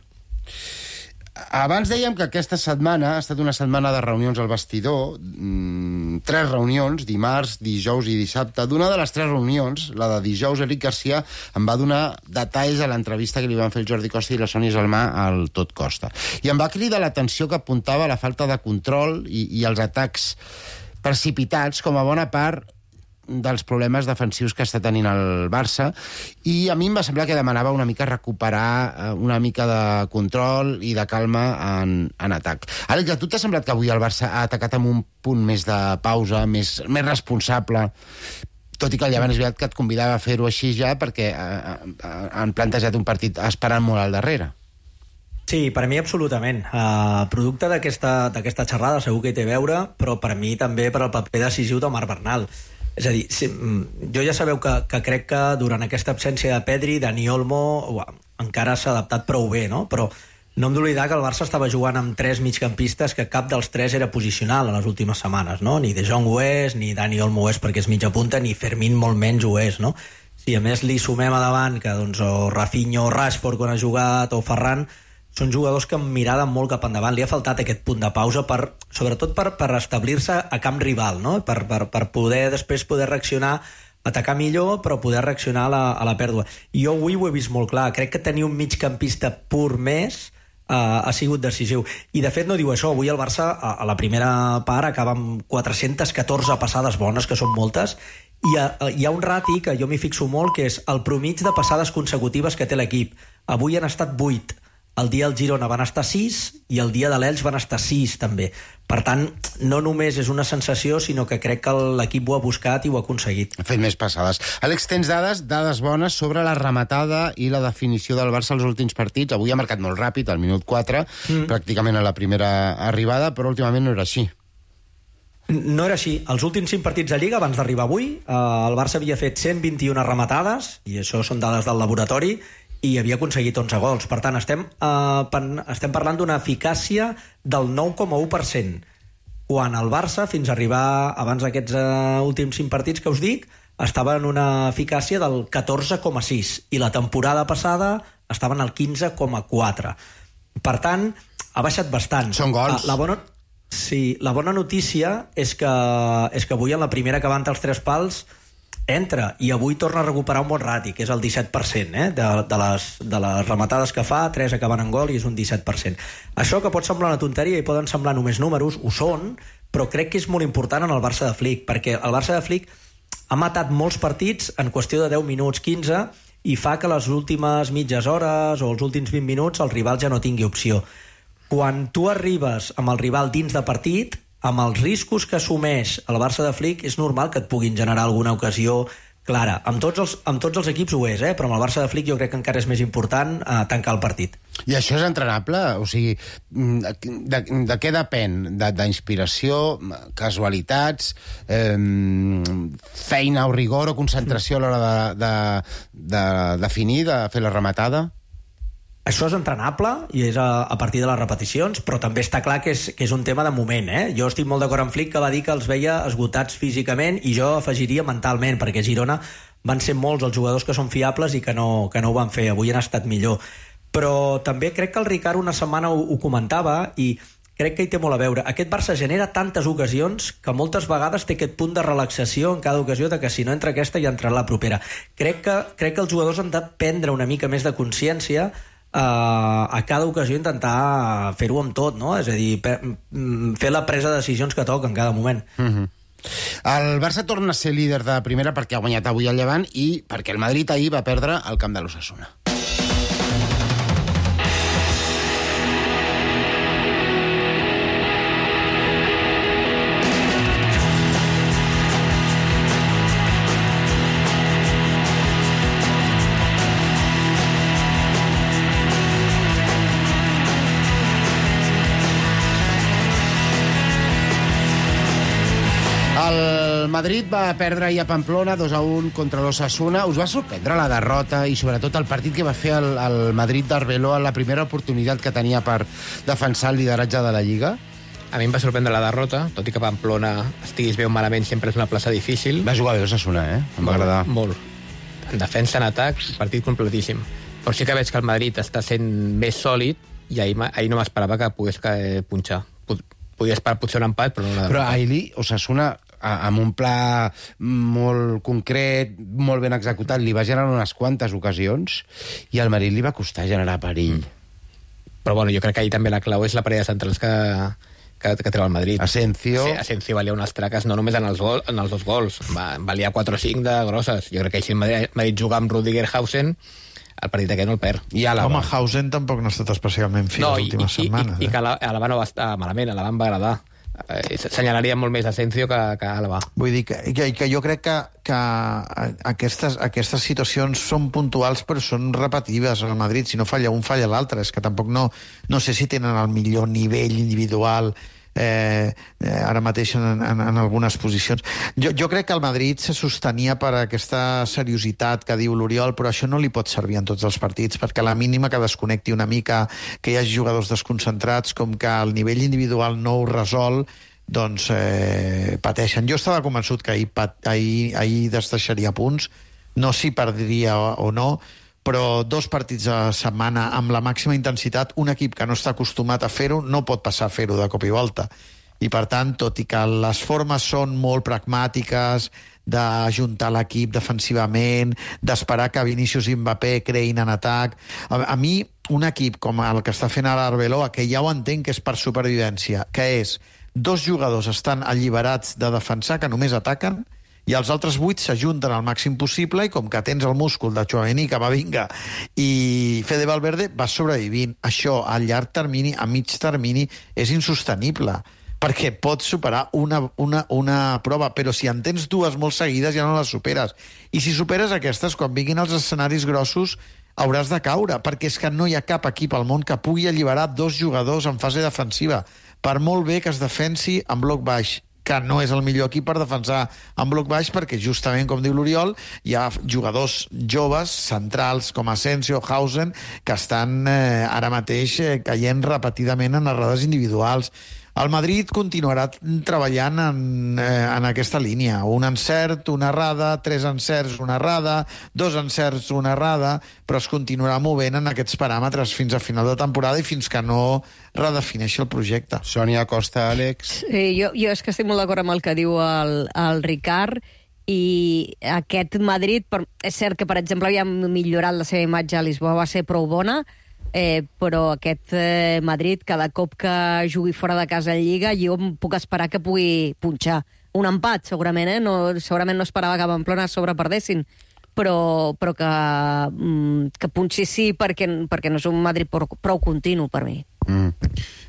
Abans dèiem que aquesta setmana ha estat una setmana de reunions al vestidor, 3 reunions, dimarts, dijous i dissabte. D'una de les 3 reunions, la de dijous, Eric Garcia em va donar detalls a l'entrevista que li van fer el Jordi Costa i la Sònia Gelmà al Tot Costa. I em va cridar l'atenció que apuntava la falta de control i els atacs precipitats com a bona part dels problemes defensius que està tenint el Barça, i a mi em va semblar que demanava una mica recuperar una mica de control i de calma en atac. Àlex, a tu t'ha semblat que avui el Barça ha atacat amb un punt més de pausa, més responsable, tot i que el Llevant és veritat que et convidava a fer-ho així ja perquè han plantejat un partit esperant molt al darrere? Sí, per mi absolutament. Producte d'aquesta xerrada segur que hi té a veure, però per mi també per el paper decisiu de Marc Bernal. És a dir, jo ja sabeu que crec que durant aquesta absència de Pedri, Dani Olmo encara s'ha adaptat prou bé, no? Però no hem d'oblidar que el Barça estava jugant amb 3 migcampistes que cap dels 3 era posicional a les últimes setmanes, no? Ni De Jong ho és, ni Dani Olmo ho és perquè és mitja punta, ni Fermín molt menys ho és, no? Si a més li sumem a davant que doncs, o Rafinha o Rashford quan ha jugat, o Ferran, són jugadors que han mirat molt cap endavant. Li ha faltat aquest punt de pausa, sobretot per establir-se a camp rival, no? Per poder després reaccionar atacar millor, però poder reaccionar a la pèrdua. Jo avui ho he vist molt clar. Crec que tenir un migcampista pur més ha sigut decisiu. I de fet no diu això. Avui el Barça a la primera part acaba amb 414 passades bones, que són moltes, i hi ha un rati que jo m'hi fixo molt, que és el promig de passades consecutives que té l'equip. Avui han estat 8. El dia del Girona van estar 6 i el dia de l'Elx van estar 6 també. Per tant, no només és una sensació, sinó que crec que l'equip ho ha buscat i ho ha aconseguit. Ha fet més passades. Àlex, tens dades bones sobre la rematada i la definició del Barça als últims partits. Avui ha marcat molt ràpid, al minut 4, pràcticament a la primera arribada, però últimament no era així. No era així. Els últims 5 partits de Lliga, abans d'arribar avui, el Barça havia fet 121 rematades, i això són dades del laboratori, i havia aconseguit 11 gols. Per tant, estem parlant d'una eficàcia del 9,1%, quan el Barça, fins a arribar abans d'aquests últims 5 partits que us dic, estava en una eficàcia del 14,6%, i la temporada passada estaven al 15,4%. Per tant, ha baixat bastant. Són gols. La bona notícia és que avui en la primera que va entrar els 3 pals entra, i avui torna a recuperar un bon rati, que és el 17%, de les rematades que fa, 3 acaben en gol i és un 17%. Això que pot semblar una tonteria i poden semblar només números, ho són, però crec que és molt important en el Barça de Flick, perquè el Barça de Flick ha matat molts partits en qüestió de 10 minuts, 15, i fa que les últimes mitges hores o els últims 20 minuts el rival ja no tingui opció. Quan tu arribes amb el rival dins de partit, amb els riscos que assumeix el Barça de Flick, és normal que et puguin generar alguna ocasió clara. Amb tots els equips ho és, però amb el Barça de Flick jo crec que encara és més important tancar el partit. I això és entrenable? O sigui, de què depèn? D'inspiració, casualitats, feina o rigor o concentració a l'hora de definir, de fer la rematada? Això és entrenable i és a partir de les repeticions, però també està clar que és un tema de moment. Jo estic molt d'acord amb Flick, que va dir que els veia esgotats físicament, i jo afegiria mentalment, perquè a Girona van ser molts els jugadors que són fiables i que no ho van fer. Avui han estat millor. Però també crec que el Ricard una setmana ho comentava, i crec que hi té molt a veure. Aquest Barça genera tantes ocasions que moltes vegades té aquest punt de relaxació en cada ocasió, de que si no entra aquesta ja entrarà la propera. Crec que els jugadors han de prendre una mica més de consciència a cada ocasió, intentar fer-ho amb tot, no? És a dir, fer la presa de decisions que toca en cada moment. El Barça torna a ser líder de primera perquè ha guanyat avui el Llevant i perquè el Madrid ahir va perdre al camp de l'Osasuna. El Madrid va perdre ahir a Pamplona 2-1 contra l'Osasuna. Us va sorprendre la derrota i sobretot el partit que va fer el Madrid d'Arbeloa en la primera oportunitat que tenia per defensar el lideratge de la Lliga? A mi em va sorprendre la derrota, tot i que Pamplona estiguis bé o malament, sempre és una plaça difícil. Va jugar bé l'Osasuna, Em va agradar. Molt. En defensa, en atac, partit completíssim. Però sí que veig que el Madrid està sent més sòlid i ahir no m'esperava que pogués punxar. Podia esperar potser un empat, però no la derrota. Però ahir Osasuna, amb un pla molt concret, molt ben executat, li va generar unes quantes ocasions i al Madrid li va costar generar perill. Però bueno, jo crec que ahir també la clau és la parella de centrals que treu el Madrid. Asensio. Sí, Asensio valia unes traques, no només en els 2 gols, valia 4 o 5 de grosses. Jo crec que si el Madrid juga amb Rüdiger Hausen, el partit aquest no el perd. I Home, Hausen tampoc no ha estat especialment fi les últimes setmanes. I que Alaba no va estar malament, Alaba em va agradar. Senyalaria molt més Asensio que Alaba. Vull dir que jo crec que aquestes situacions són puntuals però són repetitives al Madrid. Si no falla un, falla l'altre. És que tampoc no sé si tenen el millor nivell individual ara mateix en algunes posicions. Jo crec que el Madrid se sostenia per aquesta seriositat que diu l'Oriol, però això no li pot servir en tots els partits, perquè a la mínima que desconnecti una mica, que hi hagi jugadors desconcentrats, com que el nivell individual no ho resol, doncs pateixen. Jo estava convençut que ahir deixaria punts, no si perdria o no, però 2 partits a la setmana amb la màxima intensitat, un equip que no està acostumat a fer-ho no pot passar a fer-ho de cop i volta. I, per tant, tot i que les formes són molt pragmàtiques, d'ajuntar l'equip defensivament, d'esperar que Vinícius i Mbappé creïn en atac, a mi, un equip com el que està fent ara Arbeloa, que ja ho entenc que és per supervivència, que és 2 jugadors estan alliberats de defensar, que només ataquen, i els altres 8 s'ajunten al màxim possible i com que tens el múscul de Tchouaméni, Camavinga i Fede Valverde, vas sobrevivint. Això a llarg termini, a mig termini, és insostenible perquè pots superar una prova, però si en tens 2 molt seguides ja no les superes. I si superes aquestes, quan vinguin els escenaris grossos, hauràs de caure, perquè és que no hi ha cap equip al món que pugui alliberar 2 jugadors en fase defensiva, per molt bé que es defensi en bloc baix, que no és el millor equip per defensar en bloc baix, perquè justament, com diu l'Oriol, hi ha jugadors joves, centrals, com Asensio, Hausen, que estan ara mateix caient repetidament en errades individuals. El Madrid continuarà treballant en aquesta línia. Un encert, una errada, 3 encerts, una errada, 2 encerts, una errada, però es continuarà movent en aquests paràmetres fins a final de temporada i fins que no redefineixi el projecte. Sònia Costa, Àlex... Sí, jo és que estic molt d'acord amb el que diu el Ricard, i aquest Madrid, és cert que, per exemple, havia millorat la seva imatge a Lisboa, va ser prou bona, però aquest Madrid, cada cop que jugui fora de casa en Lliga, jo em puc esperar que pugui punxar. Un empat, segurament, segurament no esperava que Pamplona sobreperdessin, però que punxi sí, perquè no és un Madrid prou continu per mi.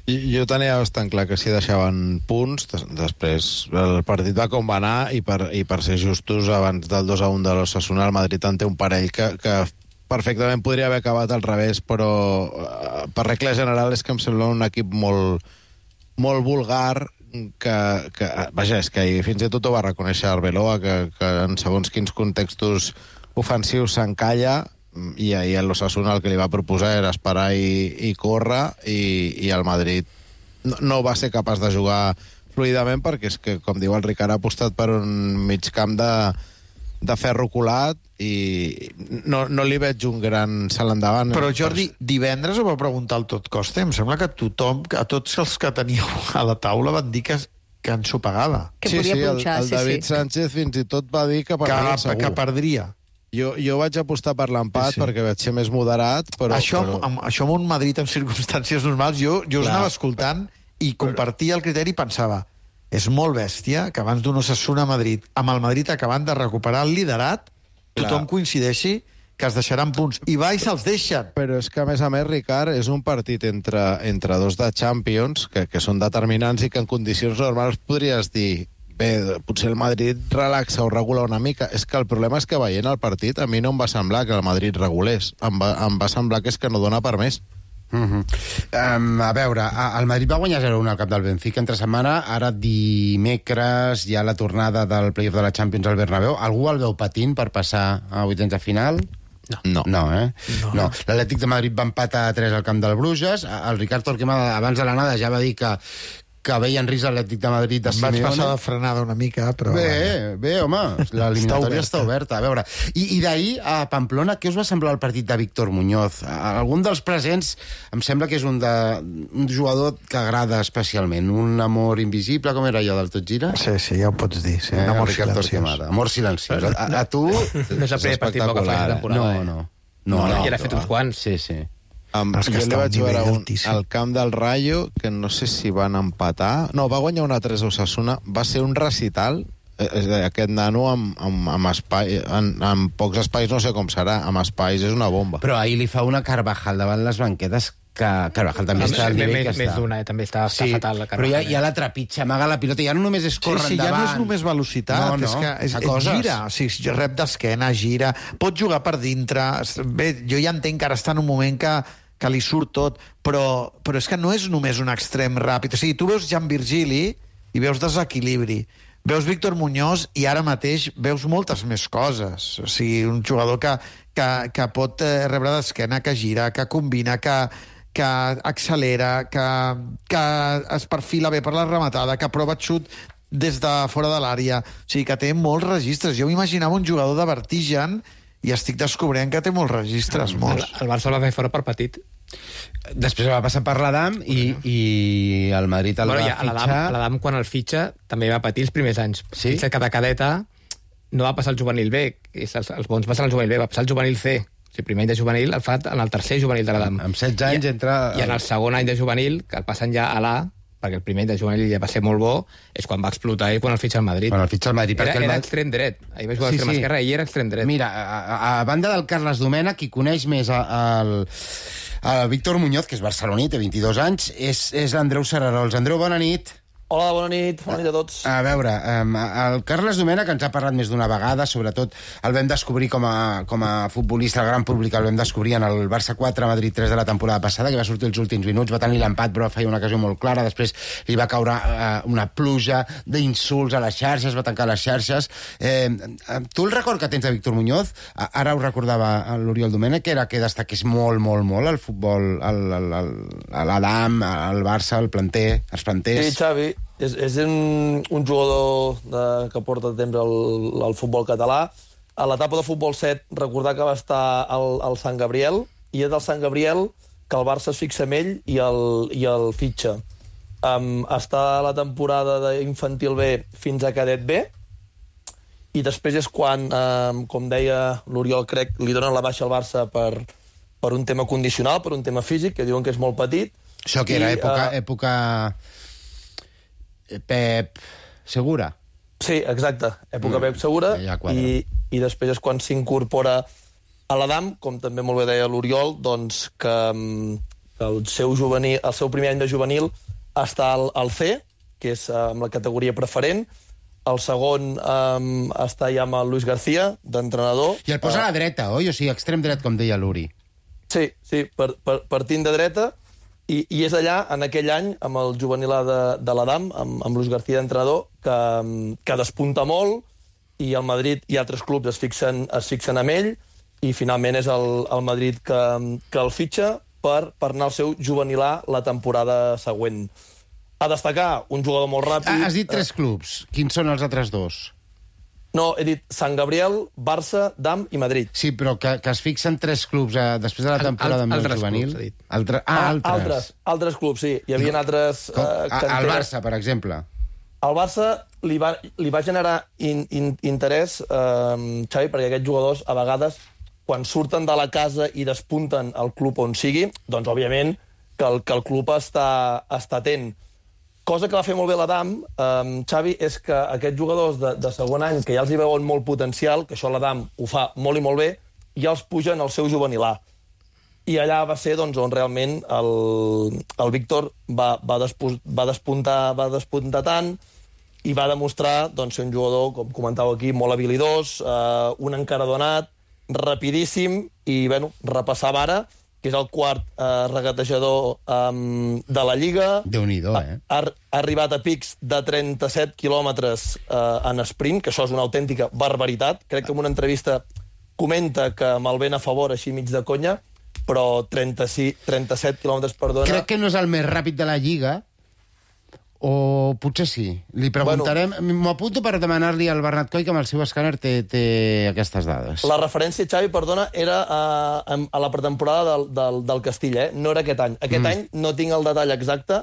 Jo tenia bastant clar que si deixaven punts, després el partit va com va anar, i per ser justos, abans del 2-1 de l'Osasuna, el Madrid en té un parell que perfectament podria haver acabat al revés, però per regla general és que em sembla un equip molt, molt vulgar, que vaja, és que fins i tot ho va reconèixer Arbeloa, que en segons quins contextos ofensius s'encalla, i ahir l'Osasuna el que li va proposar era esperar i córrer, i el Madrid no va ser capaç de jugar fluidament, perquè és que, com diu el Ricard, ha apostat per un mig camp de ferro colat, i no li veig un gran salt endavant. Però Jordi, divendres ho va preguntar el Tot Costa, em sembla que a tots els que teníeu a la taula van dir que ensopegava. Que podia punxar, el David Sánchez fins i tot va dir que perdria segur. Que perdria. Jo vaig apostar per l'empat, perquè vaig ser més moderat, però... Això amb un Madrid en circumstàncies normals, jo us anava escoltant i compartia el criteri i pensava, és molt bèstia que abans d'un Osasuna a Madrid, amb el Madrid acabant de recuperar el liderat, tothom coincideixi que es deixaran punts. I va i se'ls deixen. Però és que, a més, Ricard, és un partit entre 2 de Champions que són determinants i que en condicions normals podries dir bé, potser el Madrid relaxa o regula una mica. És que el problema és que veient el partit a mi no em va semblar que el Madrid regulés. Em va semblar que és que no dona per més. A veure, el Madrid va guanyar 0-1 al camp del Benfica entre setmana. Ara dimecres hi ha la tornada del playoff de la Champions al Bernabéu. Algú el veu patint per passar a vuitens de final? No. No. L'Atlètic de Madrid va empatar a 3 al camp del Bruges. El Ricard Torquemada abans de l'anada ja va dir que veia en risc l'Atlètic de Madrid de Simeone. Em vaig passar de frenada una mica, però... Bé, home, l'eliminatòria està oberta. A veure, i d'ahir a Pamplona, què us va semblar el partit de Víctor Muñoz? Algun dels presents em sembla que és un jugador que agrada especialment. Un amor invisible, com era allò del Tot Gira? Sí, ja ho pots dir. Sí. Un amor silenciós. Amor silenciós. A tu... No és el primer partit que fa la temporada. No, ja n'ha fet uns quants. Sí. Jo li vaig veure al camp del Rayo, que no sé si van empatar... No, va guanyar una 3 a Osasuna. Va ser un recital. Aquest nano amb espai, amb pocs espais, no sé com serà. Amb espais és una bomba. Però ahir li fa una Carvajal davant les banquetes, que Carvajal també està al nivell que està. Més d'una, també està fatal la Carvajal. Però ja la trepitja, amaga la pilota, ja no només és córrer endavant. Ja no és només velocitat, és que gira. O sigui, rep d'esquena, gira, pot jugar per dintre. Bé, jo ja entenc que ara està en un moment que li surt tot, però és que no és només un extrem ràpid. O sigui, tu veus Jan Virgili i veus desequilibri, veus Víctor Muñoz i ara mateix veus moltes més coses. O sigui, un jugador que pot rebre d'esquena, que gira, que combina, que accelera, que es perfila bé per la rematada, que prova xut des de fora de l'àrea. O sigui, que té molts registres. Jo m'imaginava un jugador de vertigen i estic descobrint que té molts registres, molts. El Barça el va fer fora per petit. Després va passar per l'Adam i el Madrid el va fitxar... L'Adam, quan el fitxa, també va patir els primers anys. Sí? Fitxa que de cadeta no va passar al juvenil B, els bons passen al juvenil B, va passar al juvenil C. O sigui, primer any de juvenil el fa en el tercer juvenil de l'Adam. Amb 16 anys entra... I en el segon any de juvenil, que el passen ja a l'A, perquè el primer any de juvenil ja va ser molt bo, és quan va explotar i quan el fitxa al Madrid. Quan el fitxa al Madrid. Era extrem dret. Ahir va jugar a l'extrem esquerra i era extrem dret. Mira, a banda del Carles Domènech, qui coneix més el Víctor Muñoz, que és barceloní, té 22 anys, és l'Andreu Serarols. Andreu, bona nit. Hola, bona nit a tots. A veure, el Carles Domènech ens ha parlat més d'una vegada, sobretot el vam descobrir com a futbolista, el gran públic el vam descobrir en el Barça 4, Madrid 3 de la temporada passada, que va sortir els últims minuts, va tenir l'empat, però feia una ocasió molt clara, després li va caure una pluja d'insults a les xarxes, va tancar les xarxes. Tu el record que tens de Víctor Muñoz, ara ho recordava l'Oriol Domènech, era que destaqués molt, molt, molt el futbol, l'Adam, el Barça, el planter, els planters... Sí, Xavi, és un jugador que porta temps al futbol català. A l'etapa de futbol 7, recordar que va estar al Sant Gabriel, i és del Sant Gabriel que el Barça es fixa en ell i el fitxa. Està a la temporada d'infantil B fins a cadet B, i després és quan, com deia l'Oriol, crec, li donen la baixa al Barça per un tema condicional, per un tema físic, que diuen que és molt petit. Això que era època Pep Segura. Sí, exacte, època Pep Segura, i després és quan s'incorpora a l'Adam, com també molt bé deia l'Oriol, doncs que el seu primer any de juvenil està al C, que és amb la categoria preferent. El segon està ja amb el Luis García, d'entrenador. I el posa a la dreta, oi? O sigui, extrem dret, com deia l'Uri. Sí, partint de dreta, i és allà, en aquell any, amb el juvenil de l'Adam, amb Luis García d'entrenador, que despunta molt, i el Madrid i altres clubs es fixen amb ell, i finalment és el Madrid que el fitxa per anar al seu juvenil A la temporada següent. A destacar, un jugador molt ràpid... Has dit 3 clubs. Quins són els altres 2? No, he dit Sant Gabriel, Barça, Dam i Madrid. Sí, però que es fixen 3 clubs després de la temporada més juvenil. Altres clubs, sí. Hi havia altres... El Barça, per exemple. Al Barça li va generar interès, Xavi, perquè aquests jugadors, a vegades, quan surten de la casa i despunten al club on sigui, doncs, òbviament, que el club està atent. Cosa que va fer molt bé l'Adam, Xavi, és que aquests jugadors de segon any, que ja els hi veuen molt potencial, que això l'Adam ho fa molt i molt bé, ja els pugen al seu juvenil A. I allà va ser on realment el Víctor va despuntar tant i va demostrar ser un jugador, com comentàveu aquí, molt habilidós, un encaradonat, rapidíssim, i repassava ara, que és el quart regatejador de la Lliga. Déu-n'hi-do, Ha arribat a pics de 37 quilòmetres en sprint, que això és una autèntica barbaritat. Crec que en una entrevista comenta que amb el vent a favor, així mig de conya, però 37 quilòmetres per hora... Crec que no és el més ràpid de la Lliga, o potser sí. Li preguntarem... M'ho apunto per demanar-li al Bernat Coll, que amb el seu escàner té aquestes dades. La referència, Xavi, perdona, era a la pretemporada del Castilla, no era aquest any. Aquest any no tinc el detall exacte,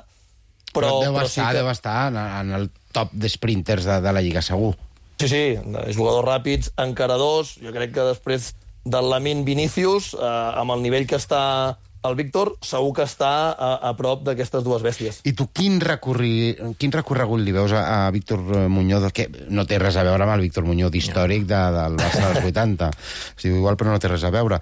però deu estar en el top d'esprinters de la Lliga, segur. Sí, jugadors ràpids, encaradors. Jo crec que després del Lamine Vinícius, amb el nivell que està el Víctor, segur que està a prop d'aquestes dues bèsties. I tu quin recorregut li veus a Víctor Muñoz, que no té res a veure amb el Víctor Muñoz històric del Barça dels 80? Es diu igual, però no té res a veure.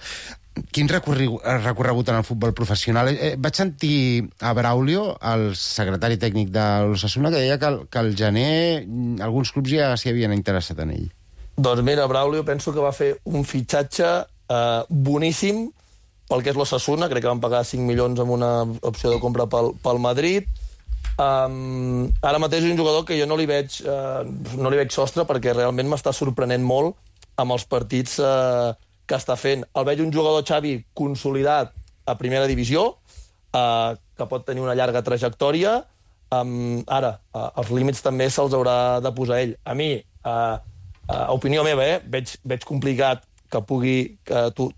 Quin recorregut en el futbol professional? Vaig sentir a Braulio, el secretari tècnic de l'Osasuna, que deia que al gener alguns clubs ja s'hi havien interessat en ell. Doncs mira, Braulio penso que va fer un fitxatge boníssim pel que és l'Osasuna. Crec que van pagar 5 milions amb una opció de compra pel Madrid. Ara mateix és un jugador que jo no li veig sostre, perquè realment m'està sorprenent molt amb els partits que està fent. El veig un jugador, Xavi, consolidat a primera divisió, que pot tenir una llarga trajectòria. Ara, els límits també se'ls haurà de posar ell. A mi, a opinió meva, veig complicat que pugui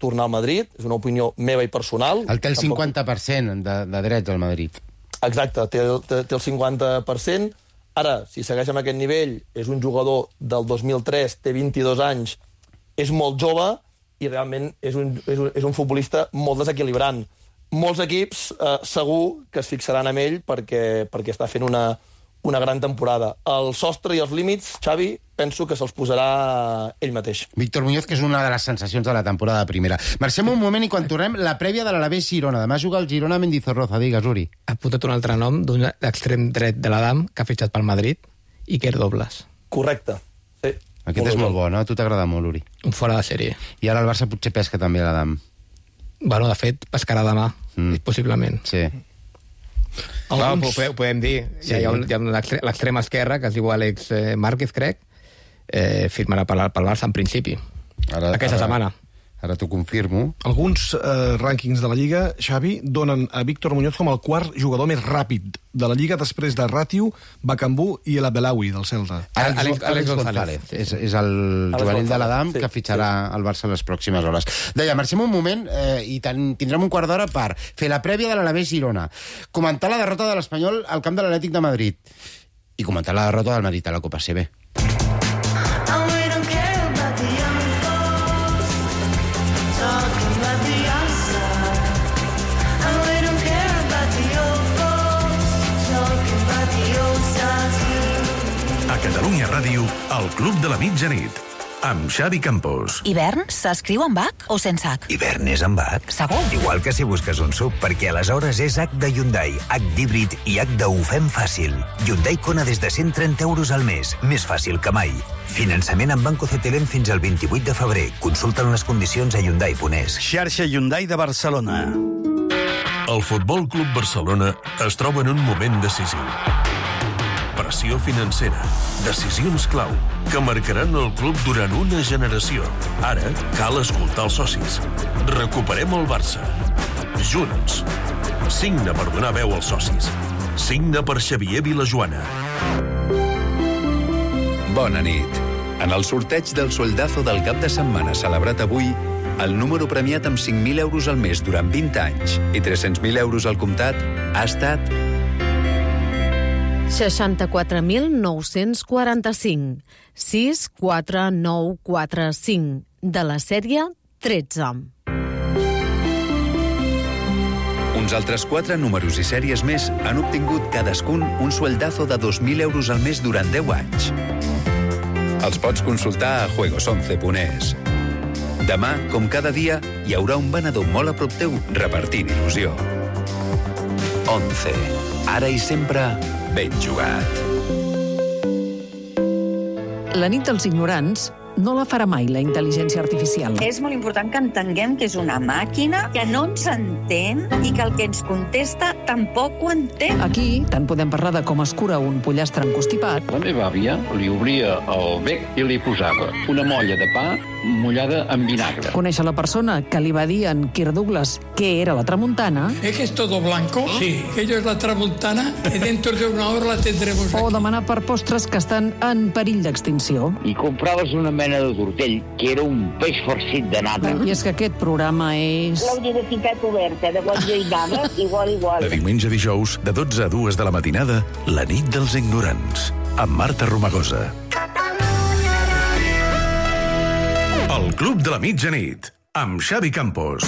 tornar al Madrid. És una opinió meva i personal. El té el 50% de drets al Madrid. Exacte, té el 50%. Ara, si segueix amb aquest nivell, és un jugador del 2003, té 22 anys, és molt jove i realment és un futbolista molt desequilibrant. Molts equips segur que es fixaran en ell perquè està fent una gran temporada. El sostre i els límits, Xavi, penso que se'ls posarà ell mateix. Víctor Muñoz, que és una de les sensacions de la temporada primera. Marxem un moment i quan tornem, la prèvia de l'Alavés Girona. Demà juga el Girona Mendizorroza. Digues, Uri. Ha apuntat un altre nom d'un extrem dret de l'Adam que ha fitxat pel Madrid, Iker Dobles. Correcte, sí. Aquest és molt bo, no? A tu t'agrada molt, Uri. Un fora de sèrie. I ara el Barça potser pesca també l'Adam. Bueno, de fet, pescarà demà, possiblement. Sí. Ho podem dir. Sí. Hi ha l'extrem esquerra, que es diu Àlex Márquez, crec, firmarà pel Barça en principi. Aquesta setmana. Ara t'ho confirmo. Alguns rànquings de la Lliga, Xavi, donen a Víctor Muñoz com el quart jugador més ràpid de la Lliga després de Ratiu, Bacambú i el Abelawi, del Celta. Àlex González. És el juvenil de l'Adam que fitxarà el Barça les pròximes hores. Deia, marxem un moment i tindrem un quart d'hora per fer la prèvia de l'Alavés Girona, comentar la derrota de l'Espanyol al camp de l'Atlètic de Madrid i comentar la derrota del Madrid a la Copa CB. A Catalunya Ràdio, el Club de la Mitjanit, amb Xavi Campos. Hivern s'escriu amb H o sense H? Hivern és amb H. Segur? Igual que si busques un SUV, perquè aleshores és H de Hyundai, H d'híbrid i H de ho fem fàcil. Hyundai Kona des de 130 euros al mes, més fàcil que mai. Finançament amb Banco CTLM fins al 28 de febrer. Consulten les condicions a Hyundai.es. Xarxa Hyundai de Barcelona. El Futbol Club Barcelona es troba en un moment decisiu. Pressió financera, decisions clau, que marcaran el club durant una generació. Ara cal escoltar els socis. Recuperem el Barça. Junts. Signa per donar veu als socis. Signa per Xavier Vilajoana. Bona nit. En el sorteig del sueldazo del cap de setmana celebrat avui, el número premiat amb 5.000 euros al mes durant 20 anys i 300.000 euros al comptat ha estat 64.945 64945 de la sèrie 13. Uns altres 4 números i sèries més han obtingut cadascun un sueldazo de 2.000 euros al mes durant 10 anys. Els pots consultar a juegos11.es. Demà, com cada dia, hi haurà un venedor molt a prop teu repartint il·lusió. 11. Ara i sempre, ben jugat. La nit dels ignorants no la farà mai la intel·ligència artificial. És molt important que entenguem que és una màquina que no ens entén i que el que ens contesta tampoc ho entén. Aquí tant podem parlar de com es cura un pollastre encostipat. La meva àvia li obria el bec i li posava una molla de pa mullada amb vinagre. Conèixer la persona que li va dir en Kirk Douglas què era la tramuntana. ¿Es que es todo blanco? Sí. Aquello es la tramuntana y dentro de una hora la tendremos aquí. O demanar per postres que estan en perill d'extinció. I compraves una mena de tortell que era un peix farcit de nata. I és que aquest programa és... La universitat oberta de Guatlla i Gana, igual. De diumenge a dijous, de 12 a 2 de la matinada, la nit dels ignorants, amb Marta Romagosa. El Club de la Mitjanit, amb Xavi Campos.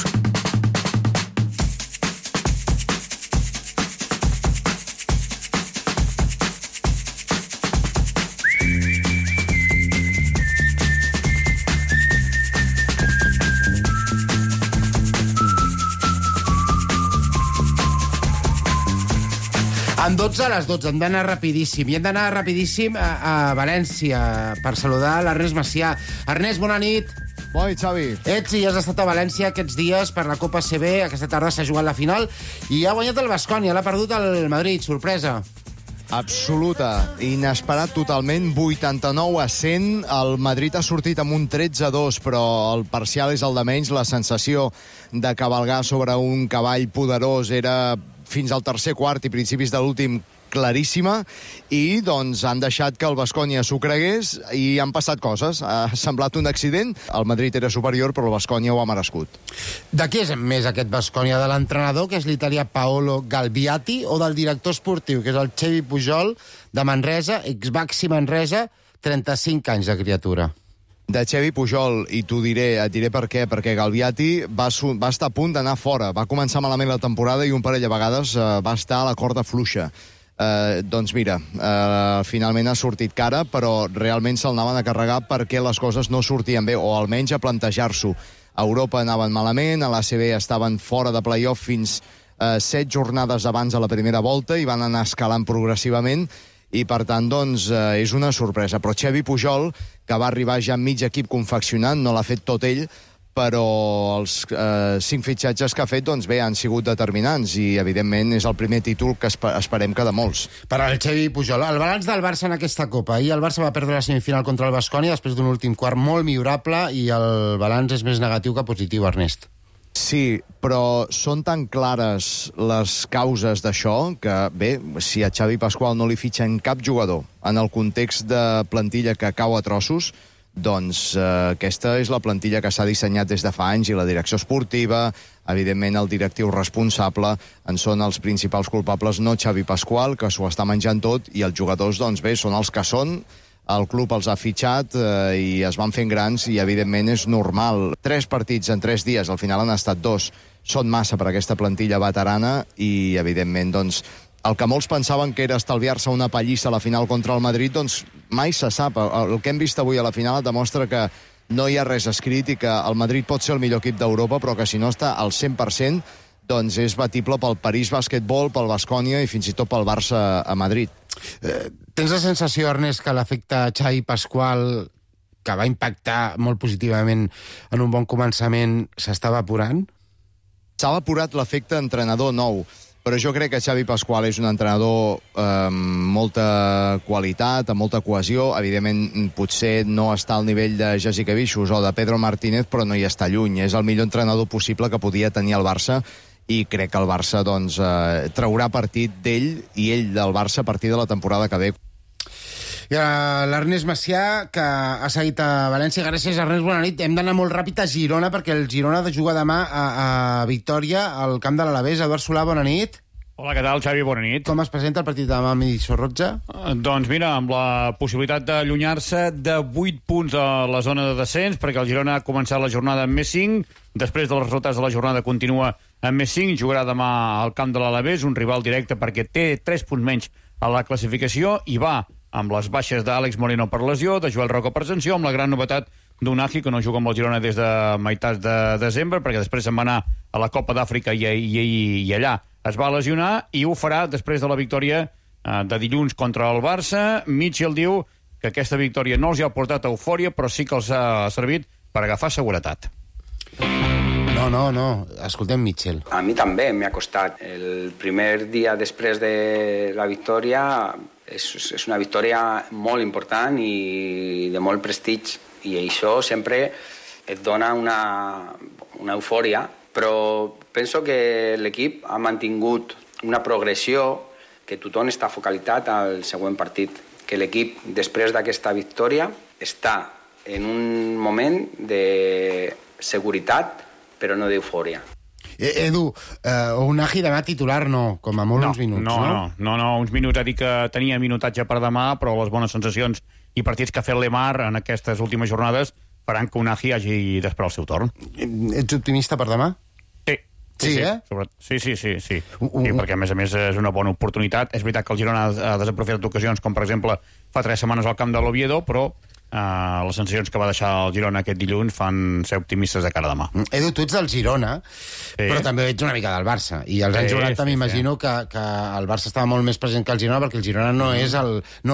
En 12 a les 12, hem d'anar rapidíssim. I hem d'anar rapidíssim a València per saludar l'Ernest Macià. Ernest, bona nit. Bona nit, Xavi. Ets i has estat a València aquests dies per la Copa CB. Aquesta tarda s'ha jugat la final i ha guanyat el Baskonia. L'ha perdut el Madrid. Sorpresa. Absoluta. Inesperat totalment. 89-100. El Madrid ha sortit amb un 13-2, però el parcial és el de menys. La sensació de cavalgar sobre un cavall poderós era fins al tercer quart i principis de l'últim claríssima, i doncs han deixat que el Baskonia s'ho cregués i han passat coses. Ha semblat un accident, el Madrid era superior, però el Baskonia ho ha merescut. De qui és més aquest Baskonia? De l'entrenador, que és l'italià Paolo Galbiati, o del director esportiu, que és el Xevi Pujol, de Manresa, ex-Baxi Manresa, 35 anys de criatura? De Xevi Pujol, i et diré per què, perquè Galbiati va estar a punt d'anar fora, va començar malament la temporada i un parell de vegades va estar a la corda fluixa. Doncs mira, finalment ha sortit cara, però realment se'l anaven a carregar perquè les coses no sortien bé, o almenys a plantejar-s'ho. A Europa anaven malament, a l'ACB estaven fora de playoff fins 7 jornades abans de la primera volta i van anar escalant progressivament, i per tant, doncs, és una sorpresa. Però Xevi Pujol, que va arribar ja amb mig equip confeccionant, no l'ha fet tot ell, però els 5 fitxatges que ha fet, doncs bé, han sigut determinants i, evidentment, és el primer títol que esperem que de molts. Per al Xevi Pujol. El balanç del Barça en aquesta Copa. Ahir el Barça va perdre la semifinal contra el Baskonia després d'un últim quart molt millorable i el balanç és més negatiu que positiu, Ernest. Sí, però són tan clares les causes d'això que, bé, si a Xavi Pasqual no li fitxen cap jugador en el context de plantilla que cau a trossos, doncs aquesta és la plantilla que s'ha dissenyat des de fa anys i la direcció esportiva, evidentment el directiu responsable, en són els principals culpables, no Xavi Pasqual, que s'ho està menjant tot, i els jugadors, doncs bé, són els que són. El club els ha fitxat i es van fent grans i, evidentment, és normal. 3 partits en 3 dies, al final han estat 2. Són massa per aquesta plantilla veterana i, evidentment, doncs, el que molts pensaven que era estalviar-se una pallissa a la final contra el Madrid, doncs mai se sap. El que hem vist avui a la final demostra que no hi ha res escrit i que el Madrid pot ser el millor equip d'Europa, però que si no està al 100%, doncs és batible pel París Basquetbol, pel Baskonia i fins i tot pel Barça a Madrid. Tens la sensació, Ernest, que l'efecte Xavi Pasqual, que va impactar molt positivament en un bon començament, s'està evaporant? S'ha evaporat l'efecte entrenador nou, però jo crec que Xavi Pasqual és un entrenador amb molta qualitat, amb molta cohesió. Evidentment, potser no està al nivell de Jessica Vicius o de Pedro Martínez, però no hi està lluny. És el millor entrenador possible que podia tenir el Barça i crec que el Barça doncs, traurà partit d'ell i ell del Barça a partir de la temporada que ve. I l'Ernest Macià, que ha seguit a València. Gràcies, Ernest, bona nit. Hem d'anar molt ràpid a Girona, perquè el Girona ha de jugar demà a Victòria, al camp de l'Alavés. Eduard Solà, bona nit. Hola, què tal, Xavi? Bona nit. Com es presenta el partit demà a Sorrotja? Doncs mira, amb la possibilitat d'allunyar-se de 8 punts a la zona de descens, perquè el Girona ha començat la jornada amb més 5, després dels resultats de la jornada continua amb més 5, jugarà demà al camp de l'Alavés, un rival directe perquè té 3 punts menys a la classificació, i va amb les baixes d'Àlex Moreno per lesió, de Joel Roca per sanció, amb la gran novetat d'Unahi, que no juga amb el Girona des de meitats de desembre, perquè després se'n va anar a la Copa d'Àfrica i allà es va lesionar, i ho farà després de la victòria de dilluns contra el Barça. Mitchell diu que aquesta victòria no els ha portat eufòria, però sí que els ha servit per agafar seguretat. No. Escoltem Mitchell. A mi també m'ha costat. El primer dia després de la victòria és una victòria molt important i de molt prestigi, i això sempre et dona una eufòria, però penso que l'equip ha mantingut una progressió, que tothom està focalitzat al següent partit, que l'equip després d'aquesta victòria està en un moment de seguretat, però no d'eufòria. Edu, Unahi demà titular no, com a molt uns minuts, no? No, uns minuts. Ha dit que tenia minutatge per demà, però les bones sensacions i partits que ha fet l'Emar en aquestes últimes jornades faran que Unahi hagi d'esperar el seu torn. Ets optimista per demà? Sí, perquè a més és una bona oportunitat. És veritat que el Girona ha desaprofitat ocasions, com per exemple fa 3 setmanes al camp de l'Oviedo, però les sensacions que va deixar el Girona aquest dilluns fan ser optimistes de cara a demà. Edu, tu ets del Girona, però també ets una mica del Barça, i als anys 90 m'imagino que el Barça estava molt més present que el Girona, perquè el Girona no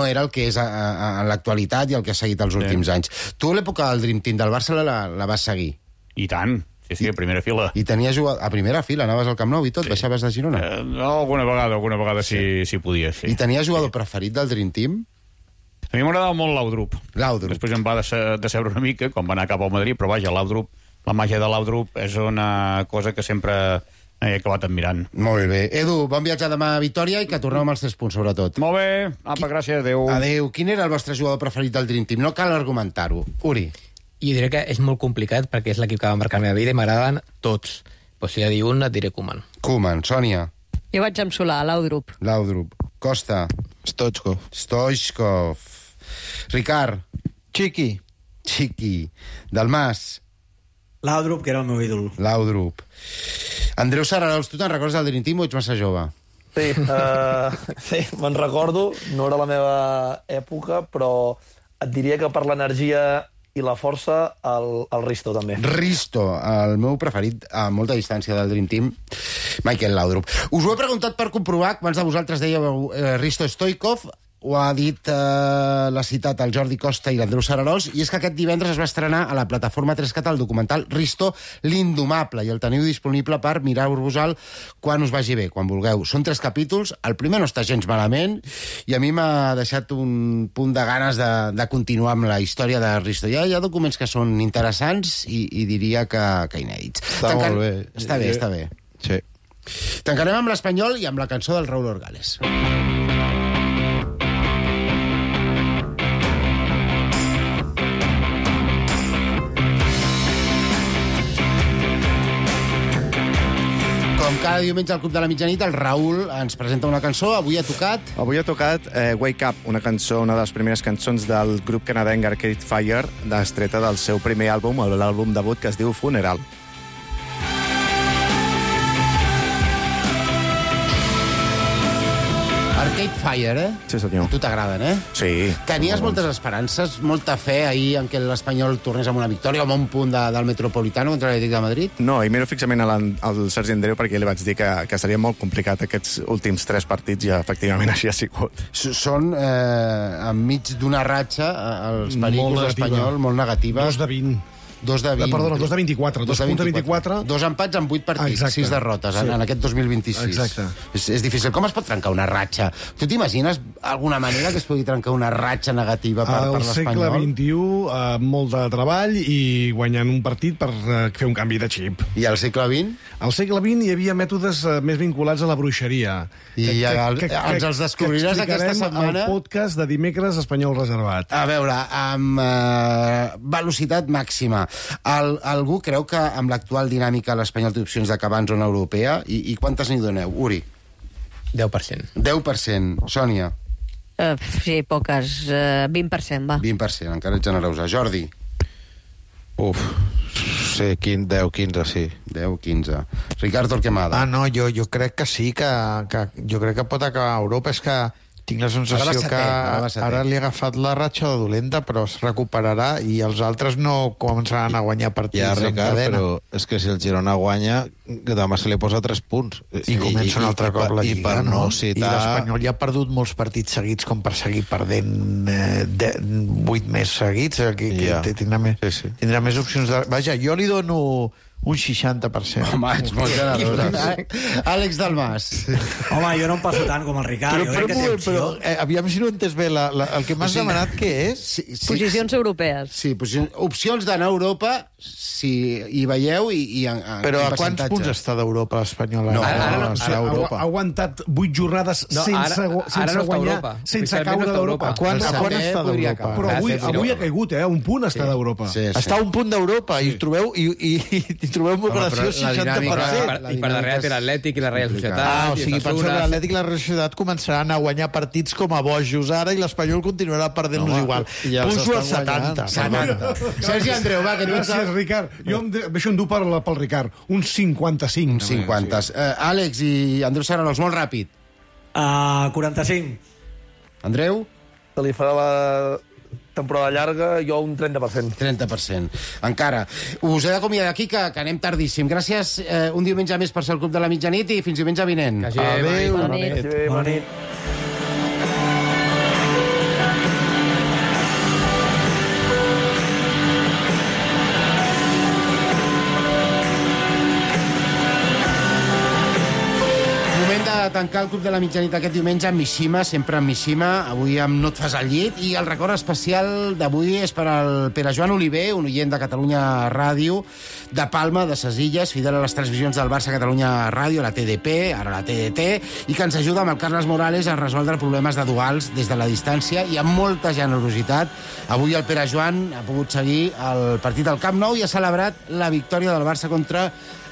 era el que és en l'actualitat i el que ha seguit els últims anys. Tu l'època del Dream Team del Barça la vas seguir? I tant. Sí, a primera fila. I tenies a primera fila, anaves al Camp Nou i tot, baixaves de Girona? Alguna vegada sí podia, sí. I tenies jugador preferit del Dream Team? A mi m'agradava molt Laudrup. Després em va decebre una mica, quan va anar cap al Madrid, però vaja, Laudrup, la màgia de Laudrup és una cosa que sempre he acabat admirant. Molt bé. Edu, bon viatge demà a Vitòria i que torneu amb els 3 punts, sobretot. Molt bé. Apa, gràcies. Adéu. Adéu. Quin era el vostre jugador preferit del Dream Team? No cal argumentar-ho. Uri. Jo diré que és molt complicat perquè és l'equip que va marcar la meva vida i m'agraden tots. Però si he de dir un, et diré Koeman. Koeman. Sònia. Jo vaig amb Solà, Laudrup. Laudrup. Costa. Stoichkov. Ricard. Chiqui. Dalmas. Laudrup, que era el meu ídol. Laudrup. Andreu Sararols, tu te'n recordes del Dream Team o ets massa jove? Sí, me'n recordo, no era la meva època, però et diria que per l'energia i la força, el Risto, també. Risto, el meu preferit a molta distància del Dream Team, Michael Laudrup. Us ho he preguntat per comprovar, quants de vosaltres dèieu Risto Stoichkov, ho ha dit, l'ha citat el Jordi Costa i l'Andreu Sararols, i és que aquest divendres es va estrenar a la plataforma 3CAT el documental Risto, l'indomable, i el teniu disponible per mirar-vos-el quan us vagi bé, quan vulgueu. Són 3 capítols, el primer no està gens malament, i a mi m'ha deixat un punt de ganes de continuar amb la història de Risto. Hi ha documents que són interessants i diria que inèdits. Molt bé. Està bé. Sí. Tancarem amb l'Espanyol i amb la cançó del Raúl Orgales. Com cada diumenge al Club de la Mitjanit, el Raül ens presenta una cançó. Avui ha tocat Wake Up, una cançó, una de les primeres cançons del grup canadenc Arcade Fire, estreta del seu primer àlbum, l'àlbum debut, que es diu Funeral. Arcade Fire, Sí, senyor. Tu t'agraden, Sí. Tenies moltes esperances, molta fe ahir en que l'Espanyol tornés amb una victòria o amb un punt del Metropolitano contra l'Atlètic de Madrid? No, i miro fixament al Sergi Andreu perquè li vaig dir que seria molt complicat aquests últims 3 partits i efectivament així ha sigut. Són enmig d'una ratxa, els pericos d'Espanyol, molt negativa. 2 de 20. 2 de 20. Perdona, 2 de 24. 2 punts de 24. 2 empats en 8 partits, Exacte. 6 derrotes en aquest 2026. Exacte. És difícil. Com es pot trencar una ratxa? Tu t'imagines alguna manera que es pugui trencar una ratxa negativa per l'Espanyol? Al segle XXI, molt de treball i guanyant un partit per fer un canvi de xip. I al segle XX? Al segle XX hi havia mètodes més vinculats a la bruixeria. I ens els descobriràs aquesta setmana. El podcast de dimecres Espanyol Reservat. A veure, amb velocitat màxima. Algú creu que amb l'actual dinàmica l'Espanyol té opcions d'acabar en zona europea? I quantes n'hi doneu? Uri? 10%. 10%. Sònia? Sí, poques. 20%, va. 20%, encara ets generosa. Jordi? Sí, 10-15, sí. 10-15. Ricardo Torquemada? No, jo crec que sí, que jo crec que pot acabar a Europa. És que tinc la sensació que ara li ha agafat la ratxa de dolenta, però es recuperarà i els altres no començaran a guanyar partits Ja, en Ricard, cadena. però és que si el Girona guanya, demà se li posa 3 punts. I comença un altre cop la Lliga, I per no I citar... l'Espanyol ja ha perdut molts partits seguits com per seguir perdent 8 més seguits. Tindrà més opcions de... Vaja, jo li dono un 60%. Home, ets molt generosa. Àlex Dalmas. Home, jo no em passo tant com el Ricard. Jo crec que té opció. Aviam si no he entès bé. El que m'has demanat, què és? Posicions europees. Sí, opcions d'anar a Europa, si hi veieu, i Però a quants punts està d'Europa l'Espanyol? Ha aguantat 8 jornades sense guanyar, sense caure d'Europa. A quan està d'Europa? Però avui ha caigut, un punt està d'Europa. Està a un punt d'Europa i trobeu molt graciós 60%. I per darrere té l'Atlètic i la Real Societat. O sigui, penseu que l'Atlètic i la Real Societat començaran a guanyar partits com a bojos ara i l'Espanyol continuarà perdent-los igual. Pujo al 70. Sergi Andreu, va, que tu ets... Gràcies, Ricard. Jo em deixo endur pel Ricard. Un 55. Un 50. Àlex i Andreu Sararols, molt ràpid. 45. Andreu? Se li farà la temporada llarga, jo un 30%. 30%. Encara. Us he d'acomiadar d'aquí, que anem tardíssim. Gràcies un diumenge més per ser al Club de la Mitjanit i fins diumenge vinent. Adéu. Bona nit. Moment de tancar el Club de la Mitjanit aquest diumenge amb Mishima, sempre amb Mishima, avui amb No et fas al llit, i el record especial d'avui és per al Pere Joan Oliver, un oient de Catalunya Ràdio, de Palma, de Ses Illes, fidel a les transmissions del Barça Catalunya Ràdio, la TDP, ara la TDT, i que ens ajuda amb el Carles Morales a resoldre problemes de duals des de la distància i amb molta generositat. Avui el Pere Joan ha pogut seguir el partit al Camp Nou i ha celebrat la victòria del Barça contra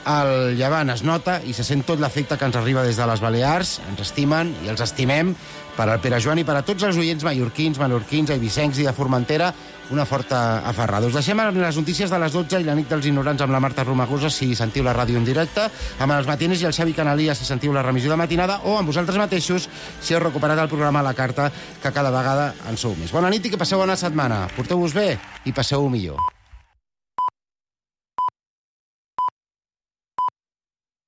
el Llevant. Es nota i se sent tot l'efecte que ens arriba des de les Balears. Ens estimen i els estimem. Per al Pere Joan i per a tots els oients mallorquins, menorquins, eivissencs i de Formentera, una forta aferrada. Us deixem amb les notícies de les 12 i la nit dels ignorants amb la Marta Romagosa, si sentiu la ràdio en directe, amb els Matines i el Xavi Canalia, si sentiu la remissió de matinada, o amb vosaltres mateixos, si heu recuperat el programa a la carta, que cada vegada en sou més. Bona nit i que passeu bona setmana. Porteu-vos bé i passeu-ho millor.